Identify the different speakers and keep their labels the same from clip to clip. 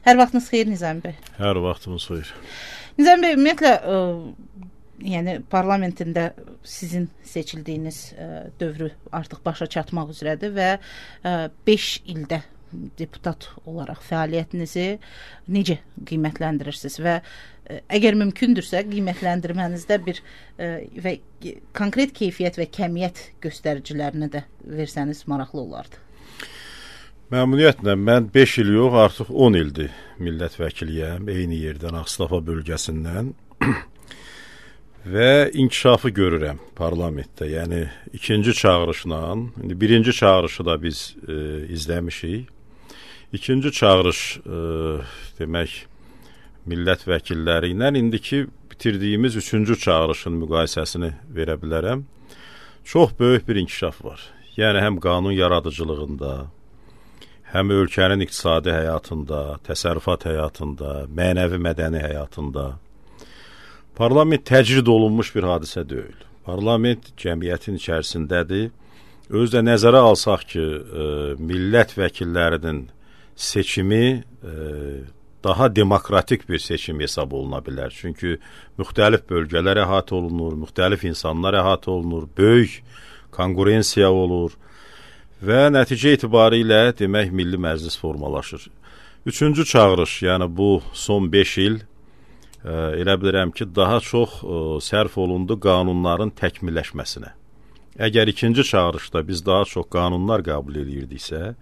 Speaker 1: Hər vaxtınız xeyir Nizami bəy.
Speaker 2: Hər vaxtımız xeyir.
Speaker 1: Nizami bəy, ümumiyyətlə yəni parlamentində sizin seçildiyiniz dövrü artıq başa çatmaq üzrədir və 5 ildə deputat olaraq fəaliyyətinizi necə qiymətləndirirsiniz və əgər mümkündürsə qiymətləndirmənizdə bir və konkret keyfiyyət və kəmiyyət göstəricilərini də versəniz maraqlı olardı.
Speaker 2: Məmnuniyyətlə, mən 5 il yox, artıq 10 ildir millət vəkiliyəm, eyni yerdən, Ağstafa bölgəsindən və inkişafı görürəm parlamentdə. Yəni, ikinci çağırışla, birinci çağırışı da biz izləmişik. İkinci çağırış, demək, millət vəkilləri ilə indiki bitirdiyimiz üçüncü çağırışın müqayisəsini verə bilərəm. Çox böyük bir inkişaf var. Yəni, həm qanun yaradıcılığında, həm ölkənin iqtisadi həyatında, təsərrüfat həyatında, mənəvi mədəni həyatında. Parlament təcrid olunmuş bir hadisə deyil. Parlament cəmiyyətin içərisindədir. Özdə nəzərə alsaq ki, millət vəkillərinin seçimi daha demokratik bir seçim hesab oluna bilər. Çünki müxtəlif bölgələr əhatə olunur, müxtəlif insanlar əhatə olunur, böyük konkurensiya olur və nəticə etibarilə demək Milli Məclis formalaşır. Üçüncü çağırış, yəni bu son 5 il elə bilirəm ki, daha çox sərf olundu qanunların təkmilləşməsinə. Əgər ikinci çağırışda biz daha çox qanunlar qəbul edirdiksə,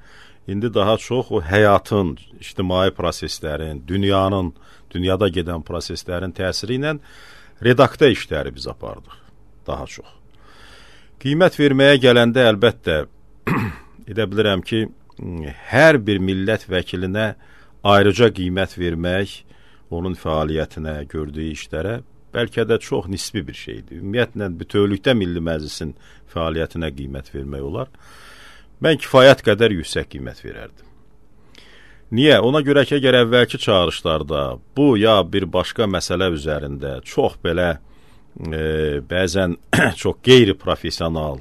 Speaker 2: indi daha çox o həyatın, ictimai proseslərin, dünyada gedən proseslərin təsiri ilə redaktə işləri biz apardıq daha çox. Qiymət verməyə gələndə əlbəttə edə bilirəm ki, hər bir millət vəkilinə ayrıca qiymət vermək, onun fəaliyyətinə, gördüyü işlərə bəlkə də çox nisbi bir şeydir. Ümumiyyətlə, bütövlükdə Milli Məclisin fəaliyyətinə qiymət vermək olar. Mən kifayət qədər yüksək qiymət verərdim. Niyə? Ona görə ki, əgər əvvəlki çağırışlarda bu ya bir başqa məsələ üzərində çox belə bəzən çox qeyri-profesional,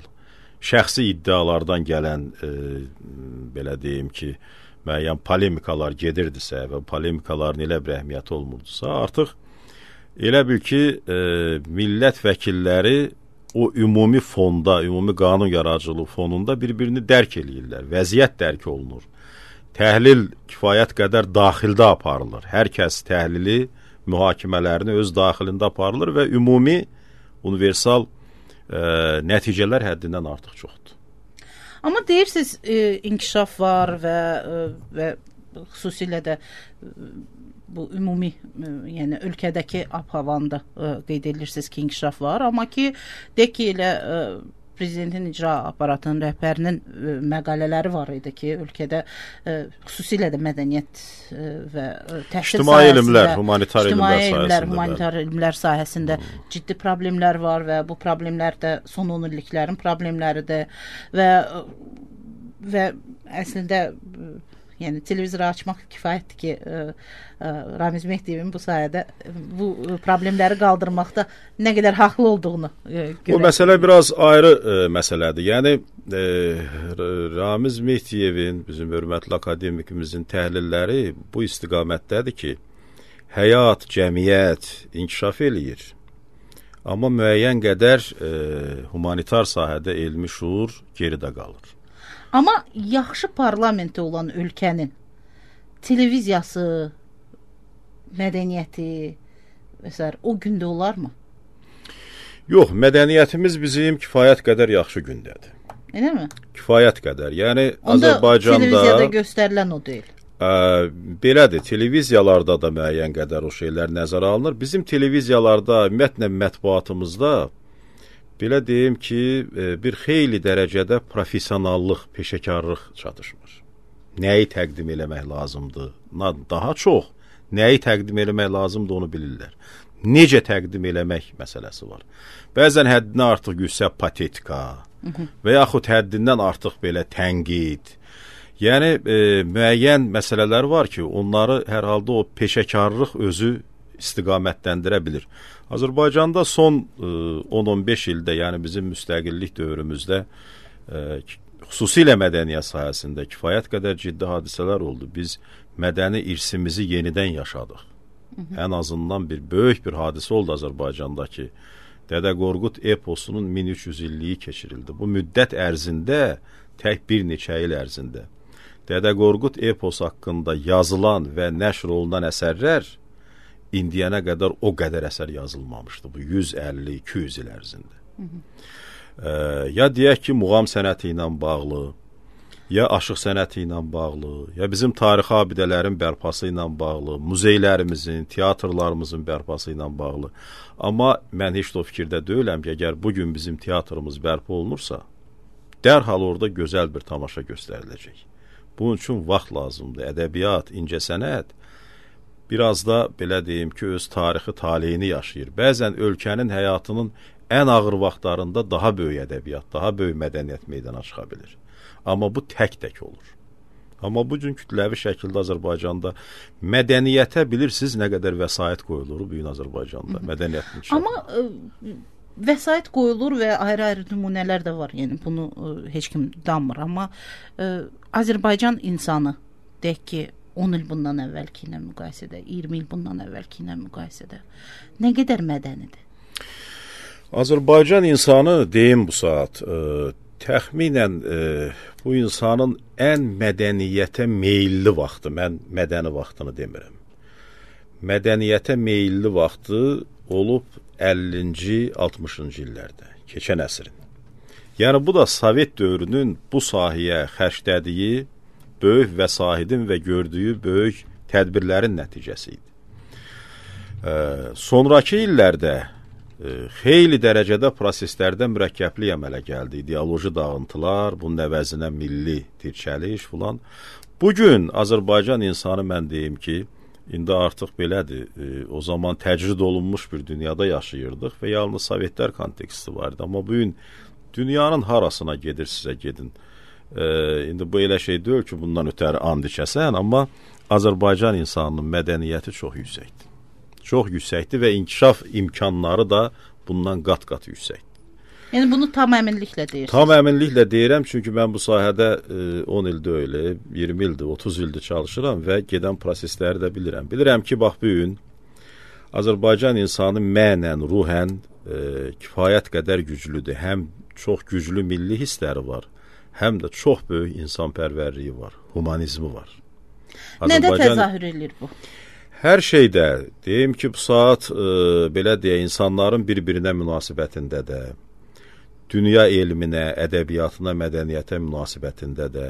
Speaker 2: şəxsi iddialardan gələn, belə deyim ki, müəyyən polemikalar gedirdisə və polemikaların elə bir əhəmiyyəti olmurdusa, artıq elə bil ki, millət vəkilləri o ümumi fonda, ümumi qanun yaradıcılığı fonunda bir-birini dərk eləyirlər. Vəziyyət dərk olunur. Təhlil kifayət qədər daxildə aparılır. Hər kəs təhlili, mühakimələrini öz daxilində aparılır və ümumi, universal nəticələr həddindən artıq çoxdur.
Speaker 1: Amma deyirsiniz, inkişaf var və xüsusilə də bu ümumi, yəni ölkədəki ab-havanda qeyd edirsiniz ki, inkişaf var, amma ki, deyək ki, elə prezidentin icra aparatının rəhbərinin məqalələri var idi ki, ölkədə xüsusilə də mədəniyyət və təhsil
Speaker 2: ictimai elmlər, humanitar
Speaker 1: elmlər sahəsində ciddi problemlər var və bu problemlər də son 10 illiklərin problemləridir və əslində yəni televizor açmaq kifayətdir ki, Ramiz Mehdiyevin bu sayədə bu problemləri qaldırmaqda nə qədər haqlı olduğunu görək.
Speaker 2: O məsələ biraz ayrı məsələdir. Yəni, Ramiz Mehdiyevin, bizim hörmətli akademikimizin təhlilləri bu istiqamətdədir ki, həyat, cəmiyyət inkişaf eləyir. Amma müəyyən qədər humanitar sahədə elmi şuur geridə qalır.
Speaker 1: Amma yaxşı parlamenti olan ölkənin televiziyası, mədəniyyəti və o gündə olarmı?
Speaker 2: Yox, mədəniyyətimiz bizim kifayət qədər yaxşı gündədir.
Speaker 1: Elə mi?
Speaker 2: Kifayət qədər. Yəni,
Speaker 1: onda
Speaker 2: Azərbaycanda
Speaker 1: televiziyada göstərilən o deyil.
Speaker 2: Belədir, televiziyalarda da müəyyən qədər o şeylər nəzərə alınır. Bizim televiziyalarda, ümumiyyətlə mətbuatımızda belə deyim ki, bir xeyli dərəcədə professionallıq, peşəkarlıq çatışmır. Nəyi təqdim eləmək lazımdır? Daha çox nəyi təqdim eləmək lazımdır onu bilirlər. Necə təqdim eləmək məsələsi var. Bəzən həddindən artıq yüksək patetika və yaxud həddindən artıq belə tənqid. Yəni, müəyyən məsələlər var ki, onları hər halda o peşəkarlıq özü istiqamətləndirə bilir. Azərbaycanda son 10-15 ildə, yəni bizim müstəqillik dövrümüzdə xüsusilə mədəniyyət sahəsində kifayət qədər ciddi hadisələr oldu. Biz mədəni irsimizi yenidən yaşadıq. Ən azından böyük bir hadisə oldu Azərbaycanda ki, Dədə Qorqud eposunun 1300 illiyi keçirildi. Bu müddət ərzində, tək bir neçə il ərzində Dədə Qorqud eposu haqqında yazılan və nəşr olunan əsərlər indiyənə qədər o qədər əsər yazılmamışdı. Bu 150-200 il ərzində. Ya deyək ki, muğam sənəti ilə bağlı, ya aşıq sənəti ilə bağlı, ya bizim tarixi abidələrin bərpası ilə bağlı, muzeylərimizin, teatrlarımızın bərpası ilə bağlı. Amma mən heç də o fikirdə deyiləm ki, əgər bugün bizim teatrımız bərpa olunursa, dərhal orada gözəl bir tamaşa göstəriləcək. Bunun üçün vaxt lazımdır. Ədəbiyyat, incəsənət biraz da, belə deyim ki, öz tarixi taleyini yaşayır. Bəzən ölkənin həyatının ən ağır vaxtlarında daha böyük ədəbiyyat, daha böyük mədəniyyət meydana çıxa bilir. Amma bu tək-tək olur. Amma bu gün kütləvi şəkildə Azərbaycanda mədəniyyətə bilirsiniz nə qədər vəsait qoyulur bu gün Azərbaycanda, mədəniyyətin üçün.
Speaker 1: Amma vəsait qoyulur və ayrı-ayrı nümunələr də var. Yəni bunu heç kim danmır. Amma Azərbaycan insanı, deyək ki, 10 il bundan əvvəlki ilə müqayisədə, 20 il bundan əvvəlki ilə müqayisədə nə qədər mədənidir?
Speaker 2: Azərbaycan insanı, deyim bu saat, təxminən bu insanın ən mədəniyyətə meyilli vaxtı, mən mədəni vaxtını demirəm. Mədəniyyətə meyilli vaxtı olub 50-ci, 60-cı illərdə, keçən əsrin. Yəni bu da Sovet dövrünün bu sahəyə xərclədiyi böyük vəsaitin və gördüyü böyük tədbirlərin nəticəsi idi. Sonrakı illərdə xeyli dərəcədə proseslərdə mürəkkəblik əmələ gəldi. İdeoloji dağıntılar, bunun əvəzinə milli dirçəliş filan. Bugün Azərbaycan insanı mən deyim ki, indi artıq belədir. O zaman təcrid olunmuş bir dünyada yaşayırdıq və yalnız Sovetlər konteksti vardı. Amma bugün dünyanın harasına gedirsinizə gedin. İndi bu elə şey deyil ki, bundan ötəri and içəsən, amma Azərbaycan insanının mədəniyyəti çox yüksəkdir. Çox yüksəkdir və inkişaf imkanları da bundan qat-qat yüksəkdir.
Speaker 1: Yəni bunu tam əminliklə deyirsiniz?
Speaker 2: Tam əminliklə deyirəm, çünki mən bu sahədə 10 ildir öyle, 20 ildir, 30 ildir çalışıram və gedən prosesləri də bilirəm. Bilirəm ki, bax bu gün Azərbaycan insanı mənən, ruhən kifayət qədər güclüdür. Həm çox güclü milli hissləri var, həm də çox böyük insanpərvərliyi var, humanizmi var.
Speaker 1: Nədə təzahür edir bu?
Speaker 2: Hər şeydə, deyim ki, bu saat belə deyə insanların bir-birinə münasibətində də, dünya elminə, ədəbiyyatına, mədəniyyətə münasibətində də,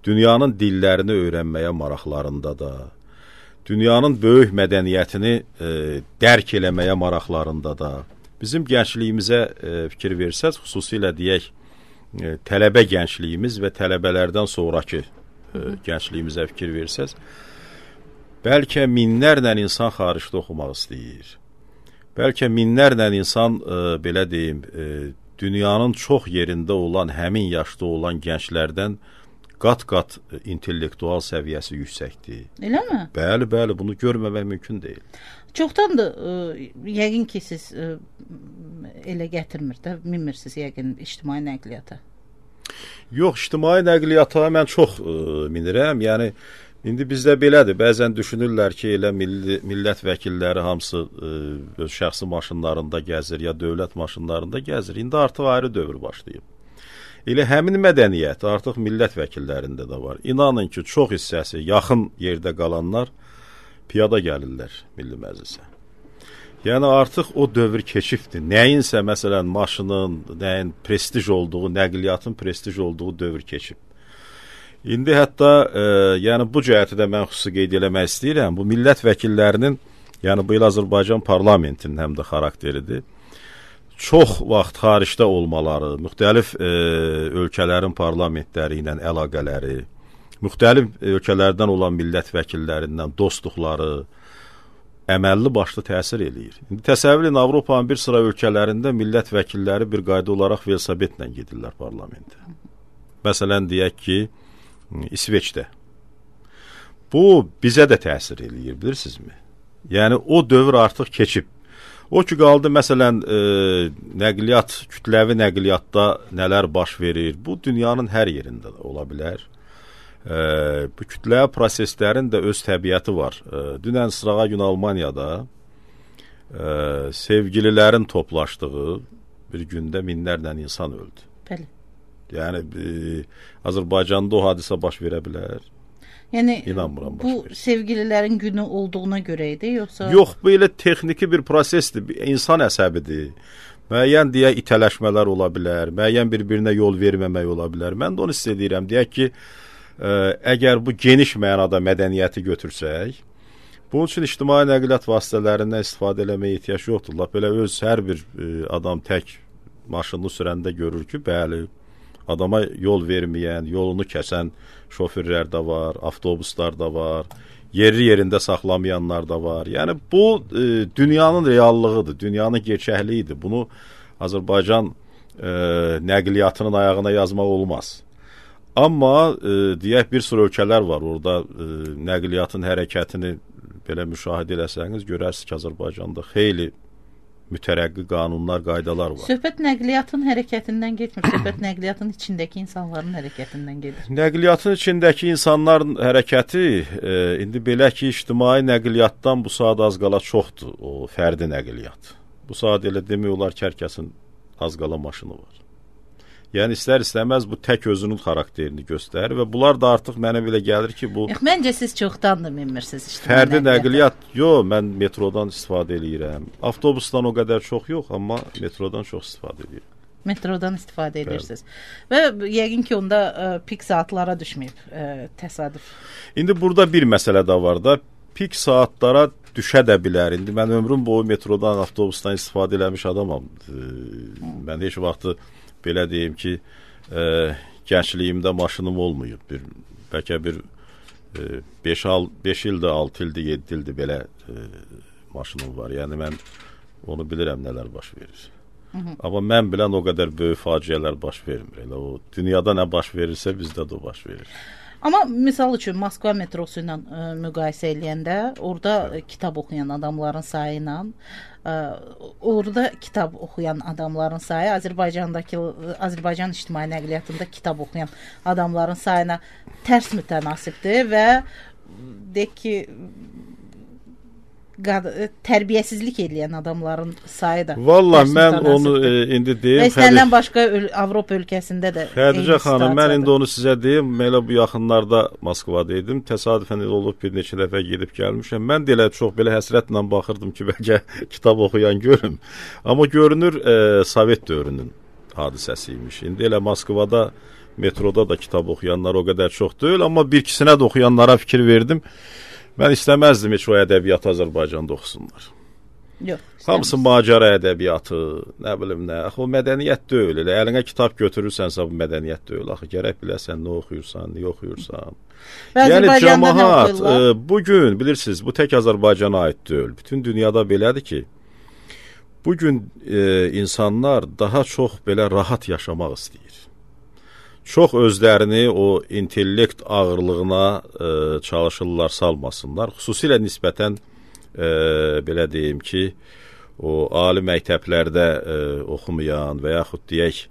Speaker 2: dünyanın dillərini öyrənməyə maraqlarında da, dünyanın böyük mədəniyyətini dərk eləməyə maraqlarında da, bizim gəncliyimizə fikir versəz, xüsusilə deyək, tələbə gəncliyimiz və tələbələrdən sonraki gəncliyimizə fikir versəz, bəlkə minlərlə insan xaricdə oxumaq istəyir. Bəlkə minlərlə insan, belə deyim, dünyanın çox yerində olan, həmin yaşda olan gənclərdən qat-qat intellektual səviyyəsi yüksəkdir.
Speaker 1: Eləmi?
Speaker 2: Bəli, bəli, bunu görməmək mümkün deyil.
Speaker 1: Çoxdandır, yəqin ki, siz elə gətirmir də, minmirsiniz yəqin ictimai nəqliyyata.
Speaker 2: Yox, ictimai nəqliyyata mən çox minirəm. Yəni, indi bizdə belədir. Bəzən düşünürlər ki, elə millət vəkilləri hamısı öz şəxsi maşınlarında gəzir, ya dövlət maşınlarında gəzir. İndi artıq ayrı dövr başlayıb. Elə həmin mədəniyyət artıq millət vəkillərində də var. İnanın ki, çox hissəsi yaxın yerdə qalanlar piyada gəlirlər Milli Məclisə. Yəni artıq o dövr keçibdir. Nəyinsə, məsələn, maşının, nəyin prestij olduğu, nəqliyyatın prestij olduğu dövr keçib. İndi hətta, yəni bu cəhəti də mən xüsusi qeyd eləmək istəyirəm. Bu millət vəkillərinin, yəni bu il Azərbaycan parlamentinin həm də xarakteridir. Çox vaxt xaricdə olmaları, müxtəlif ölkələrin parlamentləri ilə əlaqələri, müxtəlif ölkələrdən olan millət vəkillərindən dostluqları əməlli başlı təsir eləyir. İndi təsəvvür edin, Avropanın bir sıra ölkələrində millət vəkilləri bir qayda olaraq velosipedlə gedirlər parlamentə. Məsələn, deyək ki, İsveçdə. Bu, bizə də təsir eləyir, bilirsinizmi? Yəni, o dövr artıq keçib. O ki, qaldı, məsələn, nəqliyyat, kütləvi nəqliyyatda nələr baş verir, bu dünyanın hər yerində ola bilər. Bu kütləvi proseslərin də öz təbiəti var. Dünən sırağa gün Almaniyada sevgililərin toplaşdığı bir gündə minlərlə insan öldü.
Speaker 1: Bəli.
Speaker 2: Yəni Azərbaycanda o hadisə baş verə bilər.
Speaker 1: Yəni
Speaker 2: İnanmıram
Speaker 1: bu sevgililərin günü olduğuna görə idi, yoxsa?
Speaker 2: Yox, bu elə texniki bir prosesdir, insan əsəbidir. Müəyyən deyək itələşmələr ola bilər, müəyyən bir-birinə yol verməmək ola bilər. Mən də onu hiss edirəm. Deyək ki, əgər bu geniş mənada mədəniyyəti götürsək, bunun üçün ictimai nəqliyyat vasitələrindən istifadə eləməyə ehtiyac yoxdur. Lap elə öz hər bir adam tək maşınını sürəndə görür ki, bəli, adama yol verməyən, yolunu kəsən şoförlər də var, avtobuslar da var, yerində saxlamayanlar da var. Yəni bu dünyanın reallığıdır, dünyanın gerçəkliyidir. Bunu Azərbaycan nəqliyyatının ayağına yazmaq olmaz. Amma deyək bir sıra ölkələr var, orada nəqliyyatın hərəkətini belə müşahidə eləsəniz, görərsiniz ki, Azərbaycanda xeyli mütərəqqi qanunlar, qaydalar var.
Speaker 1: Söhbət nəqliyyatın hərəkətindən getmir, söhbət nəqliyyatın içindəki insanların hərəkətindən gedir.
Speaker 2: Nəqliyyatın içindəki insanların hərəkəti indi belə ki, ictimai nəqliyyatdan bu saat az qala çoxdur, o fərdi nəqliyyat. Bu saat elə demək olar ki, hər kəsin az qala maşını var. Yəni istər-istəməz bu tək özünün xarakterini göstərir və bunlar da artıq mənə belə gəlir ki, bu
Speaker 1: məncə siz çoxdandır minmirsiniz ictimai
Speaker 2: fərdi nəqliyyat. Yox, mən metrodan istifadə edirəm. Avtobusdan o qədər çox yox, amma metrodan çox istifadə edirəm.
Speaker 1: Metrodan istifadə edirsiniz. Və yəqin ki, onda pik saatlara düşməyib təsadüf.
Speaker 2: İndi burada bir məsələ də var da, pik saatlara düşə də bilər. İndi mən ömrüm boyu metrodan, avtobusdan istifadə eləmiş adamam. Mən heç vaxt belə deyim ki, gəncliyimdə maşınım olmayıb. Bəlkə bir 5 ildir, 6 ildir, 7 ildir belə maşınım var. Yəni mən onu bilirəm nələr baş verir. Amma mən bilən o qədər böyük faciələr baş vermir. Elə o dünyada nə baş verirsə bizdə də o baş verir.
Speaker 1: Amma misal üçün Moskva metrosu ilə müqayisə eləyəndə orada kitab oxuyan adamların sayı ilə orada kitab oxuyan adamların sayı Azərbaycan ictimai nəqliyyatında kitab oxuyan adamların sayına tərs mütənasibdir və deyək ki, tərbiyəsizlik edən adamların sayı da.
Speaker 2: Vallahi mən onu indi deyim.
Speaker 1: Və istənilən başqa Avropa ölkəsində də.
Speaker 2: Xədicə xanım, mən indi onu sizə deyim. Elə bu yaxınlarda Moskvada idim. Təsadüfən elə olub bir neçə dəfə gedib gəlmişəm. Mən də elə çox belə həsrətlə baxırdım ki, bəlkə kitab oxuyan görüm. Amma görünür Sovet dövrünün hadisəsi imiş. İndi elə Moskvada metroda da kitab oxuyanlar o qədər çox deyil, amma bir ikisinə də oxuyanlara fikir verdim. Mən istəməzdim heç o ədəbiyyatı Azərbaycanda oxusunlar.
Speaker 1: Yox.
Speaker 2: Hamısı macəra ədəbiyyatı, nə bilim nə. Axı o mədəniyyət deyil. Elə əlinə kitab götürürsənsə bu mədəniyyət deyil. Axı gərək biləsən nə oxuyursan, nə oxuyursan. Yəni cəmaət bu gün bilirsiniz, bu tək Azərbaycana aid deyil. Bütün dünyada belədir ki, bu gün insanlar daha çox belə rahat yaşamaq istəyir. Çox özlərini o intellekt ağırlığına çalışırlar, salmasınlar. Xüsusilə nisbətən belə deyim ki, o ali məktəblərdə oxumayan və yaxud deyək,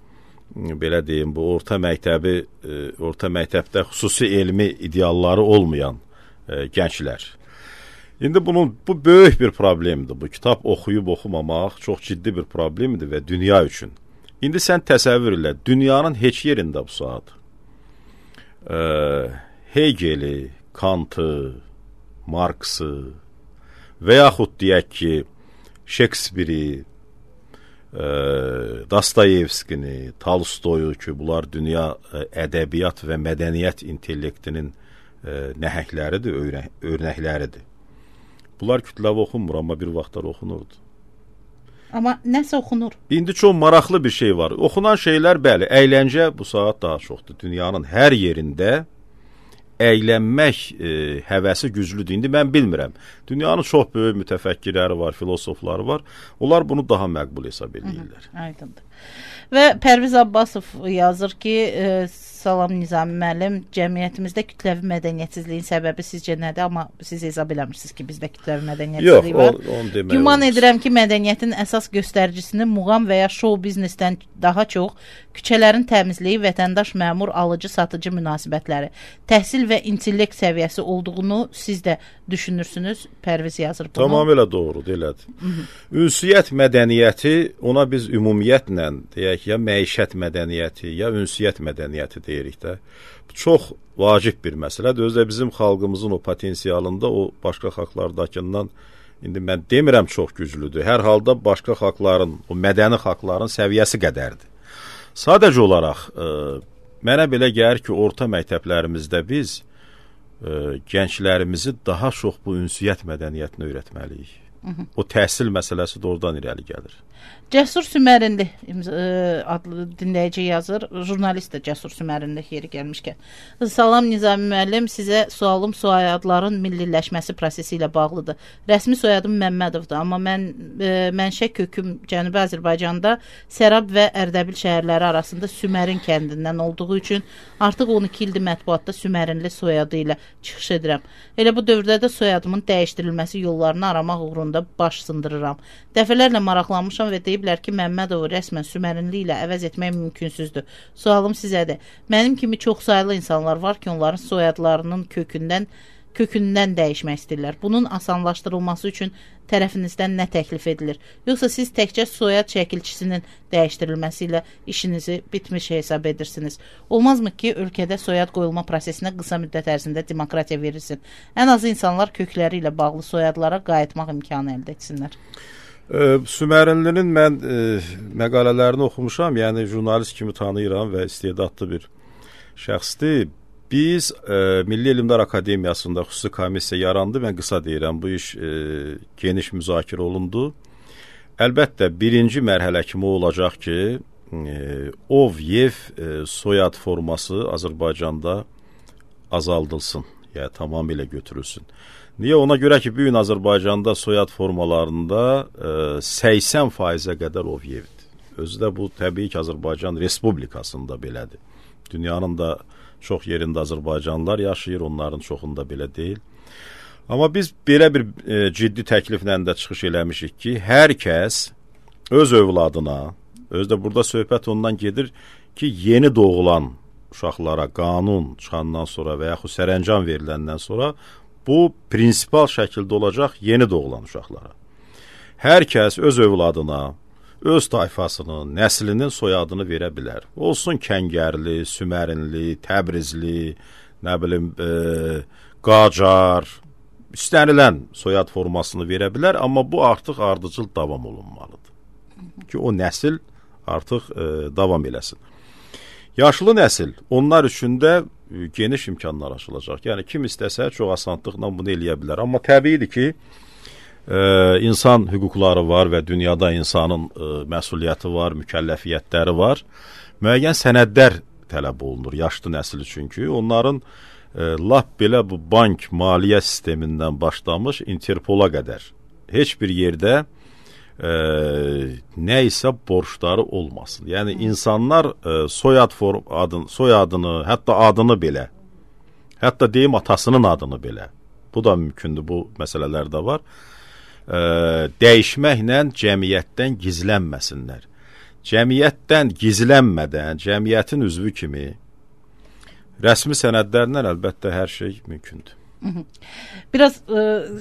Speaker 2: belə deyim, bu orta məktəbdə xüsusi elmi idealları olmayan gənclər. İndi bu böyük bir problemdir. Bu kitab oxuyub oxumamaq çox ciddi bir problemdir və dünya üçün. İndi sən təsəvvür elə, dünyanın heç yerində bu saat Hegeli, Kantı, Marksı və yaxud deyək ki, Şekspiri, Dostoyevskini, Tolstoyu ki, bunlar dünya ədəbiyyat və mədəniyyət intellektinin nəhəngləridir, örnəkləridir. Bunlar kütləvi oxunmur, amma bir vaxtlar oxunurdu.
Speaker 1: Amma nəsə oxunur.
Speaker 2: İndi çox maraqlı bir şey var. Oxunan şeylər, bəli, əyləncə bu saat daha çoxdur. Dünyanın hər yerində əylənmək həvəsi güclüdür. İndi mən bilmirəm. Dünyanın çox böyük mütəfəkkirləri var, filosofları var. Onlar bunu daha məqbul hesab edirlər.
Speaker 1: Aydındır. Və Pərviz Abbasov yazır ki, Salam Nizami müəllim, cəmiyyətimizdə kütləvi mədəniyyətsizliyin səbəbi sizcə nədir? Amma siz hesab eləmirsiniz ki, bizdə kütləvi mədəniyyətsizlik var.
Speaker 2: Yox, onu demək
Speaker 1: Güman
Speaker 2: olmaz.
Speaker 1: edirəm ki, mədəniyyətin əsas göstəricisini muğam və ya şou biznesdən daha çox küçələrin təmizliyi, vətəndaş məmur alıcı-satıcı münasibətləri, təhsil və intellekt səviyyəsi olduğunu siz də düşünürsünüz. Pərviz yazır bunu.
Speaker 2: Tamamilə doğrudur, elədir. Ünsiyyət mədəniyyəti, ona biz ümumiyyətlə deyək ya məişət mədəniyyəti, ya ünsiyyət mədəniyyəti deyirik də. Bu çox vacib bir məsələdir. Özdə bizim xalqımızın o potensialında o başqa xalqlardakından indi mən demirəm çox güclüdür. Hər halda başqa xalqların, o mədəni xalqların səviyyəsi qədərdir. Sadəcə olaraq mənə belə gəlir ki, orta məktəblərimizdə biz gənclərimizi daha çox bu ünsiyyət mədəniyyətini öyrətməliyik. O təhsil məsələsi də oradan irəli gəlir.
Speaker 1: Cəsur Sümərinli adlı dinləyici yazır. Jurnalist də Cəsur Sümərinli yeri gəlmişkən. Salam Nizami müəllim, sizə sualım soyadların milliləşməsi prosesi ilə bağlıdır. Rəsmi soyadım Məmmədovdur, amma mənşə köküm Cənubi Azərbaycanda Sərab və Ərdəbil şəhərləri arasında Sümərin kəndindən olduğu üçün artıq 12 ildir mətbuatda Sümərinli soyadı ilə çıxış edirəm. Elə bu dövrdə də soyadımın dəyişdirilməsi yollarını aramaq uğrunda baş sındırıram. Dəfələrlə maraqlanmışam və deyiblər ki, Məmmədovu rəsmən Sümərinli ilə əvəz etmək mümkünsüzdür. Sualım sizədir. Mənim kimi çox saylı insanlar var ki, onların soyadlarının kökündən dəyişmək istəyirlər. Bunun asanlaşdırılması üçün tərəfinizdən nə təklif edilir? Yoxsa siz təkcə soyad şəkilçisinin dəyişdirilməsi ilə işinizi bitmiş hesab edirsiniz? Olmazmı ki, ölkədə soyad qoyulma prosesinə qısa müddət ərzində demokratiya verilsin? Ən azı insanlar kökləri ilə bağlı soyadlara qayıtmaq imkanı əldə etsinlər.
Speaker 2: Sümərinlinin mən məqalələrini oxumuşam, yəni jurnalist kimi tanıyıram və istedadlı bir şəxsdir. Biz Milli Elmlər Akademiyasında xüsusi komissiya yarandı. Mən qısa deyirəm, bu iş geniş müzakirə olundu. Əlbəttə, birinci mərhələ kimi olacaq ki, ov, yev soyad forması Azərbaycanda azaldılsın, yəni tamamilə götürülsün. Niyə? Ona görə ki, bugün Azərbaycanda soyad formalarında 80%-ə qədər ov yevdir. Özü də bu, təbii ki, Azərbaycan Respublikasında belədir. Dünyanın da çox yerində Azərbaycanlılar yaşayır, onların çoxunda belə deyil. Amma biz belə bir ciddi təkliflə də çıxış eləmişik ki, hər kəs öz övladına, özü də burada söhbət ondan gedir ki, yeni doğulan uşaqlara qanun çıxandan sonra və yaxud sərəncam veriləndən sonra bu prinsipal şəkildə olacaq yeni doğulan uşaqlara. Hər kəs öz övladına, öz tayfasının, nəslinin soyadını verə bilər. Olsun Kəngərli, Sümərinli, Təbrizli, nə bilim, Qacar, istənilən soyad formasını verə bilər, amma bu artıq ardıcıl davam olunmalıdır. Ki o nəsil artıq davam eləsin. Yaşlı nəsil, onlar üçün də geniş imkanlar açılacaq. Yəni, kim istəsə çox asanlıqla bunu eləyə bilər. Amma təbiidir ki, insan hüquqları var və dünyada insanın məsuliyyəti var, mükəlləfiyyətləri var. Müəyyən sənədlər tələb olunur yaşlı nəsil üçün ki, onların lap belə bu bank maliyyə sistemindən başlamış Interpola qədər heç bir yerdə nə isə borçları olmasın. Yəni insanlar soyadını, hətta adını belə, hətta deyim atasının adını belə, bu da mümkündür, bu məsələlər də var, dəyişməklə cəmiyyətdən gizlənməsinlər. Cəmiyyətdən gizlənmədən, cəmiyyətin üzvü kimi rəsmi sənədlərlə əlbəttə hər şey mümkündür.
Speaker 1: Biraz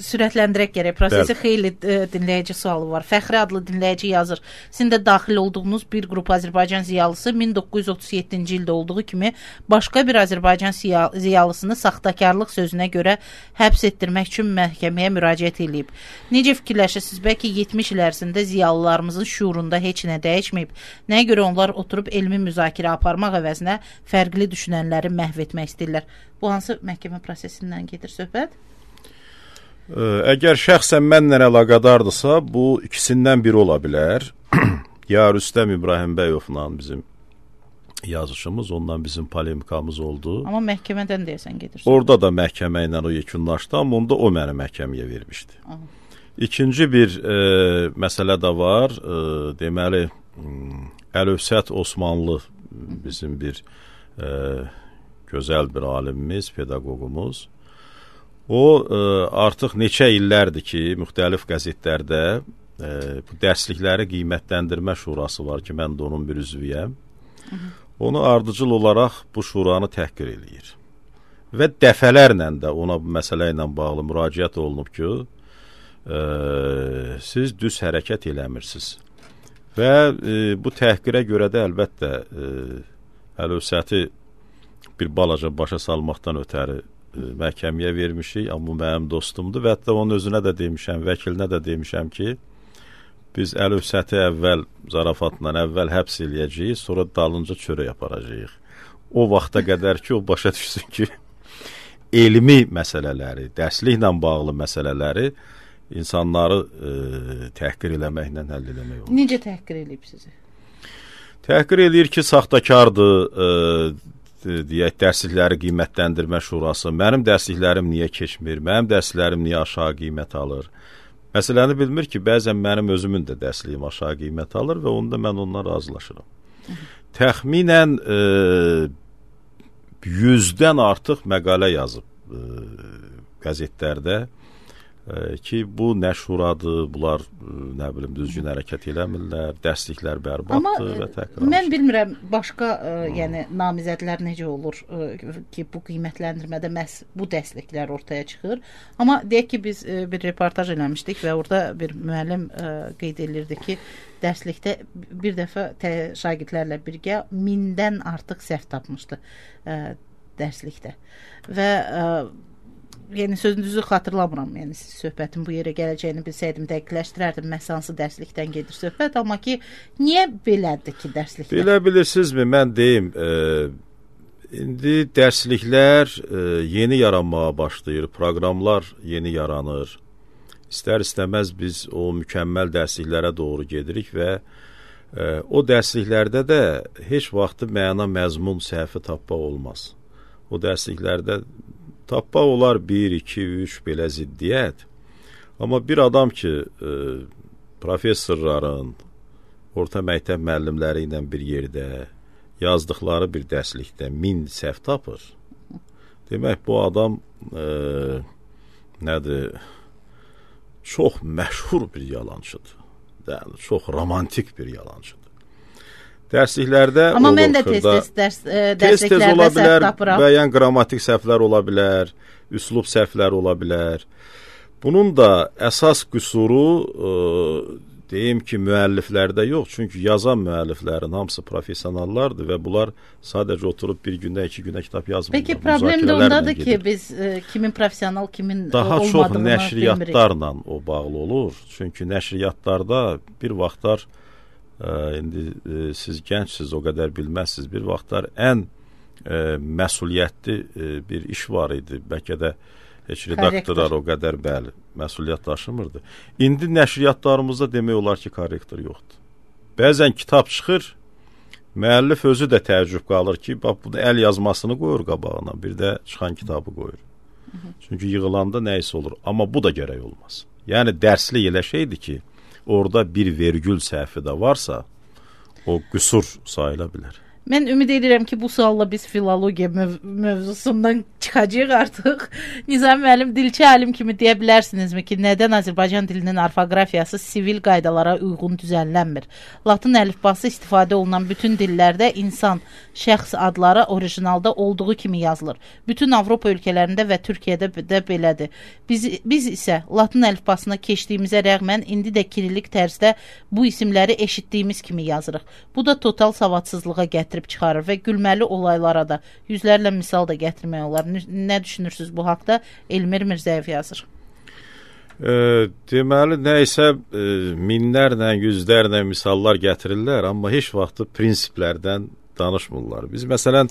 Speaker 1: sürətləndirək gərək. Prosesi xeyli dinləyici sualı var. Fəxri adlı dinləyici yazır. Sizin də daxil olduğunuz bir qrup Azərbaycan ziyalısı 1937-ci ildə olduğu kimi başqa bir Azərbaycan ziyalısını saxtakarlıq sözünə görə həbs etdirmək üçün məhkəməyə müraciət edib. Necə fikirləşirsiniz? Bəlkə 70 il ərzində ziyalılarımızın şuurunda heç nə dəyişməyib. Nəyə görə onlar oturub elmi müzakirə aparmaq əvəzinə fərqli düşünənləri məhv etmək istəyirlər? Bu hansı məhkəmə prosesindən gedir söhbət?
Speaker 2: Əgər şəxsən mənlə əlaqədardırsa, bu ikisindən biri ola bilər. Ya Rüstəm İbrahimbəyovla bizim yazışımız, ondan bizim polemikamız oldu.
Speaker 1: Amma məhkəmədən deyəsən gedir.
Speaker 2: Orada da məhkəmə ilə o yekunlaşdı, amma onda o məni məhkəməyə vermişdi. Aha. İkinci bir məsələ də var. Deməli, Əlövsət Osmanlı bizim bir gözəl bir alimimiz, pedaqoqumuz. O artıq neçə illərdir ki, müxtəlif qəzetlərdə bu dərslikləri qiymətləndirmə şurası var ki, mən də onun bir üzvüyəm. Onu ardıcıl olaraq bu şuranı təhqir eləyir. Və dəfələrlə də ona bu məsələ ilə bağlı müraciət olunub ki, siz düz hərəkət eləmirsiniz. Və bu təhqirə görə də əlbəttə Əlövsəti bir balaca başa salmaqdan ötəri məhkəməyə vermişik, amma mənim dostumdur və hətta onun özünə də demişəm, vəkilinə də demişəm ki, biz Əlövsəti əvvəl zarafatla əvvəl həbs eləyəcəyik, sonra dalınca çörək aparacağıq. O vaxta qədər ki, o başa düşsün ki, elmi məsələləri, dərsliklə bağlı məsələləri insanları təhqir eləməklə həll eləmək olur.
Speaker 1: Necə təhqir eləyib sizi?
Speaker 2: Təhqir eləyir ki, saxtakardır, deyək, dərslikləri qiymətləndirmə şurası. Mənim dərsliklərim niyə keçmir? Mənim dərsliklərim niyə aşağı qiymət alır? Məsələni bilmir ki, bəzən mənim özümün də dərsliyim aşağı qiymət alır və onda mən ondan razılaşıram. Təxminən 100-dən artıq məqalə yazıb qəzetlərdə ki, bu nə şuradır, bunlar nə bilim düzgün hərəkət eləmirlər, dərsliklər bərbaddır və təkrar.
Speaker 1: Mən bilmirəm başqa yəni namizədlər necə olur ki, bu qiymətləndirmədə məhz bu dərsliklər ortaya çıxır. Amma deyək ki, biz bir reportaj eləmişdik və orada bir müəllim qeyd edirdi ki, dərslikdə bir dəfə şagirdlərlə birgə 1000-dən artıq səhv tapmışdı dərslikdə. Və yəni sözünüzü xatırlamıram. Yəni söhbətin bu yerə gələcəyini bilsəydim dəqiqləşdirərdim. Məhz hansı dərslikdən gedir söhbət, amma ki niyə belədir ki dərsliklər?
Speaker 2: Belə bilirsinizmi, mən deyim, indi dərsliklər yeni yaranmağa başlayır, proqramlar yeni yaranır. İstər-istəməz biz o mükəmməl dərsliklərə doğru gedirik və o dərsliklərdə də heç vaxtı məna məzmun səhvi tapmaq olmaz. O dərsliklərdə tapmaq olar 1, 2, 3 belə ziddiyyət. Amma bir adam ki, professorların, orta məktəb müəllimləri ilə bir yerdə yazdıqları bir dərslikdə 1000 səhv tapır. Demək, bu adam nədir? Çox məşhur bir yalançıdır. Yəni, çox romantik bir yalançıdır. Dərsliklərdə
Speaker 1: amma mən də tez-tez
Speaker 2: ola bilər, müəyyən qrammatik səhvlər ola bilər, üslub səhvlər ola bilər. Bunun da əsas qüsuru deyim ki, müəlliflərdə yox, çünki yazan müəlliflərin hamısı professionallardır və bunlar sadəcə oturub bir gündə, 2 gündə kitab yazmırlar.
Speaker 1: Peki problem də ondadır ki, biz kimin professional, kimin
Speaker 2: daha
Speaker 1: olmadığını
Speaker 2: çox nəşriyyatlarla o bağlı olur. Çünki nəşriyyatlarda bir vaxtlar indi siz gəncsiniz, o qədər bilməzsiniz. Bir vaxtlar ən məsuliyyətli bir iş var idi. Bəlkə də heç redaktorlar o qədər bəli məsuliyyət daşımırdı. İndi nəşriyyatlarımızda demək olar ki, korrektor yoxdur. Bəzən kitab çıxır, müəllif özü də təəccüb qalır ki, bax bunu əl yazmasını qoyur qabağına, bir də çıxan kitabı qoyur. Çünki yığılanda nə isə olur. Amma bu da gərək olmaz. Yəni dərslik elə şeydir ki, orada bir vergül səhvi də varsa, o qüsur sayıla bilər.
Speaker 1: Mən ümid edirəm ki, bu sualla biz filologiya mövzusundan çıxacağıq artıq. Nizami müəllim, dilçi alim kimi deyə bilərsinizmi ki, nədən Azərbaycan dilinin orfoqrafiyası sivil qaydalara uyğun düzənlənmir? Latın əlifbası istifadə olunan bütün dillərdə insan, şəxs adları orijinalda olduğu kimi yazılır. Bütün Avropa ölkələrində və Türkiyədə də belədir. Biz isə Latın əlifbasına keçdiyimizə rəğmən indi də kirillik tərzdə bu isimləri eşitdiyimiz kimi yazırıq. Bu da total savadsızlığa gətirir çıxarır və gülməli olaylara da yüzlərlə misal da gətirmək olar. Nə düşünürsünüz bu haqda? Elmir Mirzəyev yazır.
Speaker 2: Deməli, nəysə minlərlə, yüzlərlə misallar gətirirlər, amma heç vaxtı prinsiplərdən danışmırlar. Biz məsələn,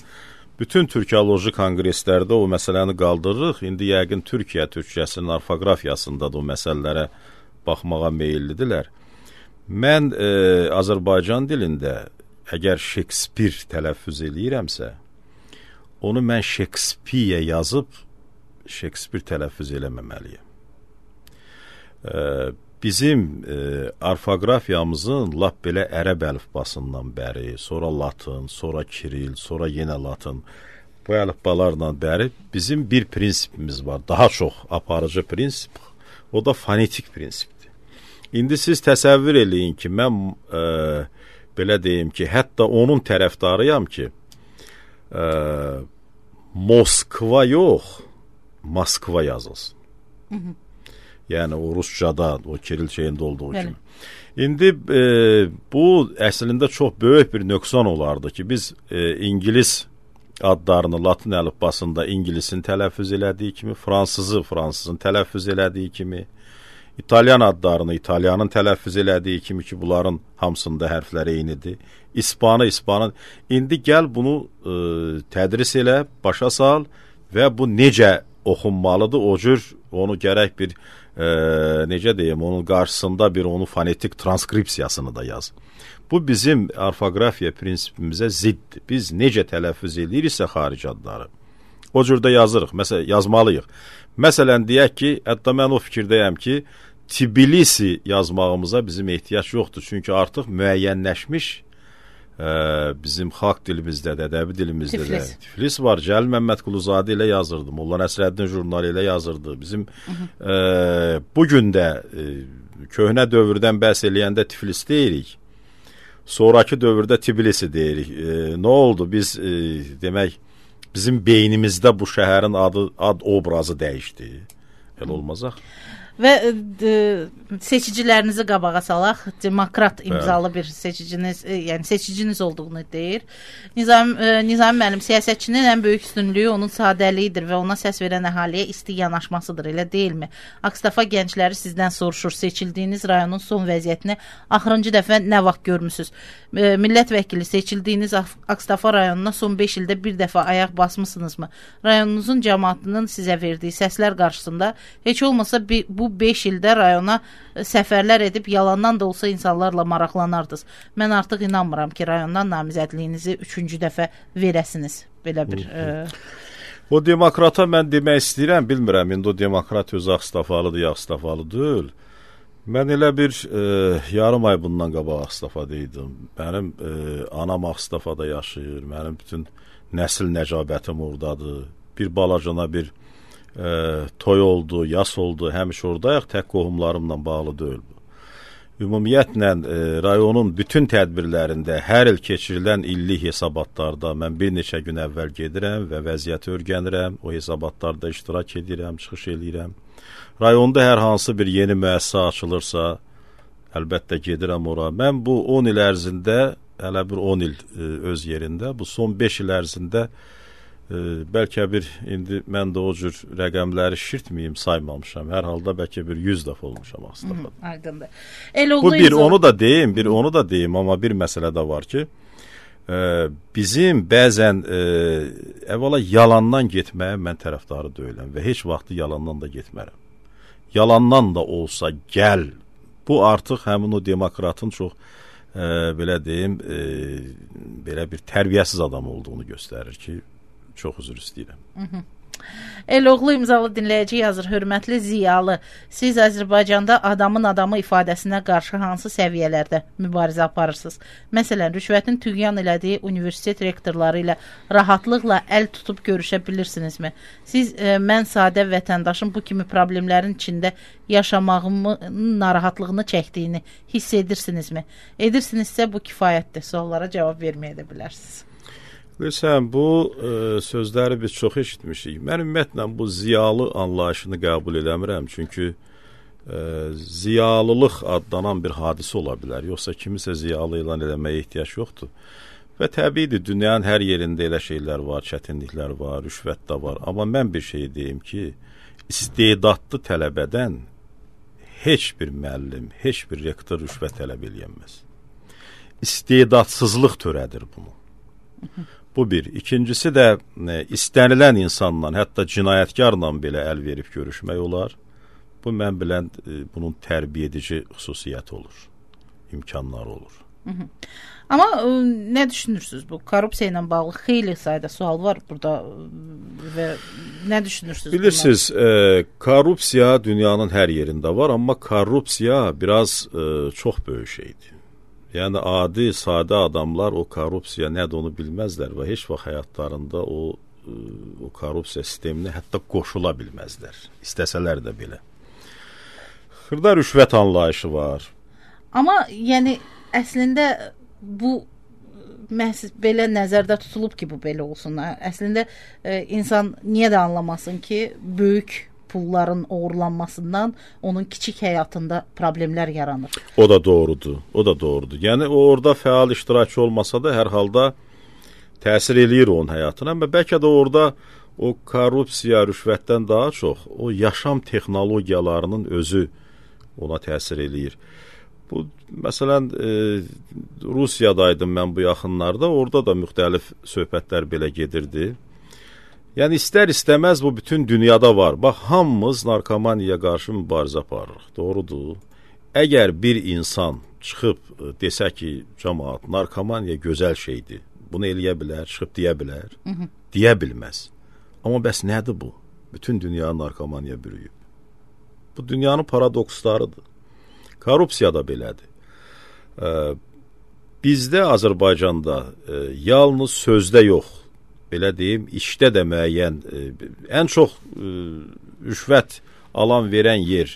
Speaker 2: bütün Türkiyoloji konqreslərdə o məsələni qaldırırıq. İndi yəqin Türkiyə türkçəsinin orfoqrafiyasında da o məsələlərə baxmağa meyillidirlər. Mən Azərbaycan dilində əgər Şekspir tələffüz eləyirəmsə, onu mən Şekspiyə yazıb Şekspir tələffüz eləməməliyəm. bizim orfoqrafiyamızın lap belə ərəb əlifbasından bəri, sonra latın, sonra kiril, sonra yenə latın, bu əlifbalarla bəri bizim bir prinsipimiz var. Daha çox aparıcı prinsip, o da fonetik prinsipdir. İndi siz təsəvvür eləyin ki, mən belə deyim ki, hətta onun tərəfdarıyam ki, Moskva yox, Moskva yazılsın. Yəni o Ruscada, o kiril şeyində olduğu kimi. İndi bu əslində çox böyük bir nöqsan olardı ki, biz İngilis adlarını latın əlifbasında İngilisin tələffüz elədiyi kimi, fransızın tələffüz elədiyi kimi, İtalyan adlarını İtalyanın tələffüz elədiyi kimi ki, bunların hamısında hərflər eynidir. İspanın. İndi gəl bunu tədris elə, başa sal və bu necə oxunmalıdır, o cür onu gərək bir necə deyim, onun qarşısında bir onun fonetik transkripsiyasını da yaz. Bu bizim orfoqrafiya prinsipimizə ziddir. Biz necə tələffüz ediriksə xarici adları, o cürdə yazırıq, məsələn, yazmalıyıq. Məsələn, deyək ki, hətta mən o fikirdəyəm ki, Tbilisi yazmağımıza bizim ehtiyac yoxdur. Çünki artıq müəyyənləşmiş bizim xalq dilimizdə də, ədəbi dilimizdə də Tiflis var. Cəlil Məmmədquluzadə ilə yazırdı, Molla Nəsrəddin jurnalı ilə yazırdı. Bizim bugün də köhnə dövrdən bəhs eləyəndə Tiflis deyirik. Sonraki dövrdə Tbilisi deyirik. Nə oldu? Biz demək, bizim beynimizdə bu şəhərin ad obrazı dəyişdi. Elə olmazaq.
Speaker 1: Və seçicilərinizi qabağa salaq, demokrat imzalı bir seçiciniz, yəni seçiciniz olduğunu deyir. Nizami müəllim, siyasətçinin ən böyük üstünlüyü onun sadəliyidir və ona səs verən əhaliyə isti yanaşmasıdır, elə deyilmi? Akstafa gəncləri sizdən soruşur, seçildiyiniz rayonun son vəziyyətini axırıncı dəfə nə vaxt görmüsünüz? Millət vəkili, seçildiyiniz Akstafa rayonuna son 5 ildə bir dəfə ayaq basmısınızmı? Rayonunuzun cəmaatının sizə verdiyi səslər qarşısında heç olmasa bu 5 ildə rayona səfərlər edib yalandan da olsa insanlarla maraqlanardınız. Mən artıq inanmıram ki, rayondan namizədliyinizi 3-cü dəfə verəsiniz. Belə bir...
Speaker 2: O demokrata mən demək istəyirəm, bilmirəm, indi o demokrat özü Akstafalıdır, ya Akstafalı deyil. Mən elə bir yarım ay bundan qabaq Akstafadaydım. Mənim anam Akstafada yaşayır, mənim bütün nəsil nəcabətim oradadır. Bir balacana bir toy oldu, yas oldu, həmişə oradayıq, tək qohumlarımla bağlı deyil bu. Ümumiyyətlə, rayonun bütün tədbirlərində hər il keçirilən illik hesabatlarda mən bir neçə gün əvvəl gedirəm və vəziyyəti öyrənirəm, o hesabatlarda iştirak edirəm, çıxış edirəm. Rayonda hər hansı bir yeni müəssisə açılırsa, əlbəttə gedirəm ora. Mən bu 10 il ərzində, hələ bir 10 il öz yerində, bu son 5 il ərzində bəlkə bir, indi mən də o cür rəqəmləri şirtməyim, saymamışam. Hər halda bəlkə bir 100 dəfə olmuşam Akstafada.
Speaker 1: Aydındır.
Speaker 2: Bu bir onu da deyim, amma bir məsələ də var ki, bizim bəzən əvvəla yalandan getməyə mən tərəfdarı deyiləm və heç vaxtı yalandan da getmərəm. Yalandan da olsa gəl. Bu artıq həmin o demokratın çox belə deyim, belə bir tərbiyəsiz adam olduğunu göstərir ki, çox üzr istəyirəm.
Speaker 1: Eloğlu imzalı dinləyici yazır, hörmətli ziyalı, siz Azərbaycanda adamın adamı ifadəsinə qarşı hansı səviyyələrdə mübarizə aparırsınız? Məsələn, rüşvətin tüğyan elədiyi universitet rektorları ilə rahatlıqla əl tutub görüşə bilirsinizmi? Siz mən sadə vətəndaşın bu kimi problemlərin içində yaşamağımın narahatlığını çəkdiyini hiss edirsinizmi? Edirsinizsə bu kifayətdir. Suallara cavab verməyə də bilərsiniz.
Speaker 2: Bilirsən, bu sözləri biz çox eşitmişik. Mən ümumiyyətlə bu ziyalı anlayışını qəbul eləmirəm. Çünki ziyalılıq adlanan bir hadisə ola bilər. Yoxsa kimisə ziyalı elan eləməyə ehtiyac yoxdur. Və təbiidir, dünyanın hər yerində elə şeylər var, çətinliklər var, rüşvət də var. Amma mən bir şey deyim ki, istedadlı tələbədən heç bir müəllim, heç bir rektor rüşvət tələb eləyənməz. İstedadsızlıq törədir bunu. Bu bir. İkincisi də istənilən insanla, hətta cinayətkarla belə əl verib görüşmək olar. Bu mən bilən bunun tərbiyə edici xüsusiyyəti olur, imkanları olur.
Speaker 1: Amma nə düşünürsünüz bu korrupsiya ilə bağlı xeyli sayda sual var burada və nə düşünürsünüz?
Speaker 2: Bilirsiniz, korrupsiya dünyanın hər yerində var, amma korrupsiya biraz çox böyük şeydir. Yəni adi, sadə adamlar o korrupsiya nədir onu bilməzlər və heç vaxt həyatlarında o korrupsiya sisteminə hətta qoşula bilməzlər. İstəsələr də belə. Xırda rüşvət anlayışı var.
Speaker 1: Amma yəni əslində bu məhz belə nəzərdə tutulub ki, bu belə olsun. Əslində insan niyə də anlamasın ki, böyük pulların uğurlanmasından onun kiçik həyatında problemlər yaranır.
Speaker 2: O da doğrudur. O da doğrudur. Yəni o orada fəal iştirakçı olmasa da hər halda təsir eləyir onun həyatına. Amma bəlkə də orada o korrupsiya, rüşvətdən daha çox o yaşam texnologiyalarının özü ona təsir eləyir. Bu məsələn Rusiyadaydım mən bu yaxınlarda, orada da müxtəlif söhbətlər belə gedirdi. Yəni istər-istəməz bu bütün dünyada var. Bax, hamımız narkomaniyaya qarşı mübarizə aparırıq. Doğrudur. Əgər bir insan çıxıb desə ki, cəmaət, narkomaniya gözəl şeydir, bunu eləyə bilər, çıxıb deyə bilər, deyə bilməz. Amma bəs nədir bu? Bütün dünya narkomaniya bürüyüb. Bu dünyanın paradokslarıdır. Korrupsiya da belədir. Bizdə Azərbaycanda yalnız sözdə yox, belə deyim, işdə də müəyyən, ən çox rüşvət alan verən yer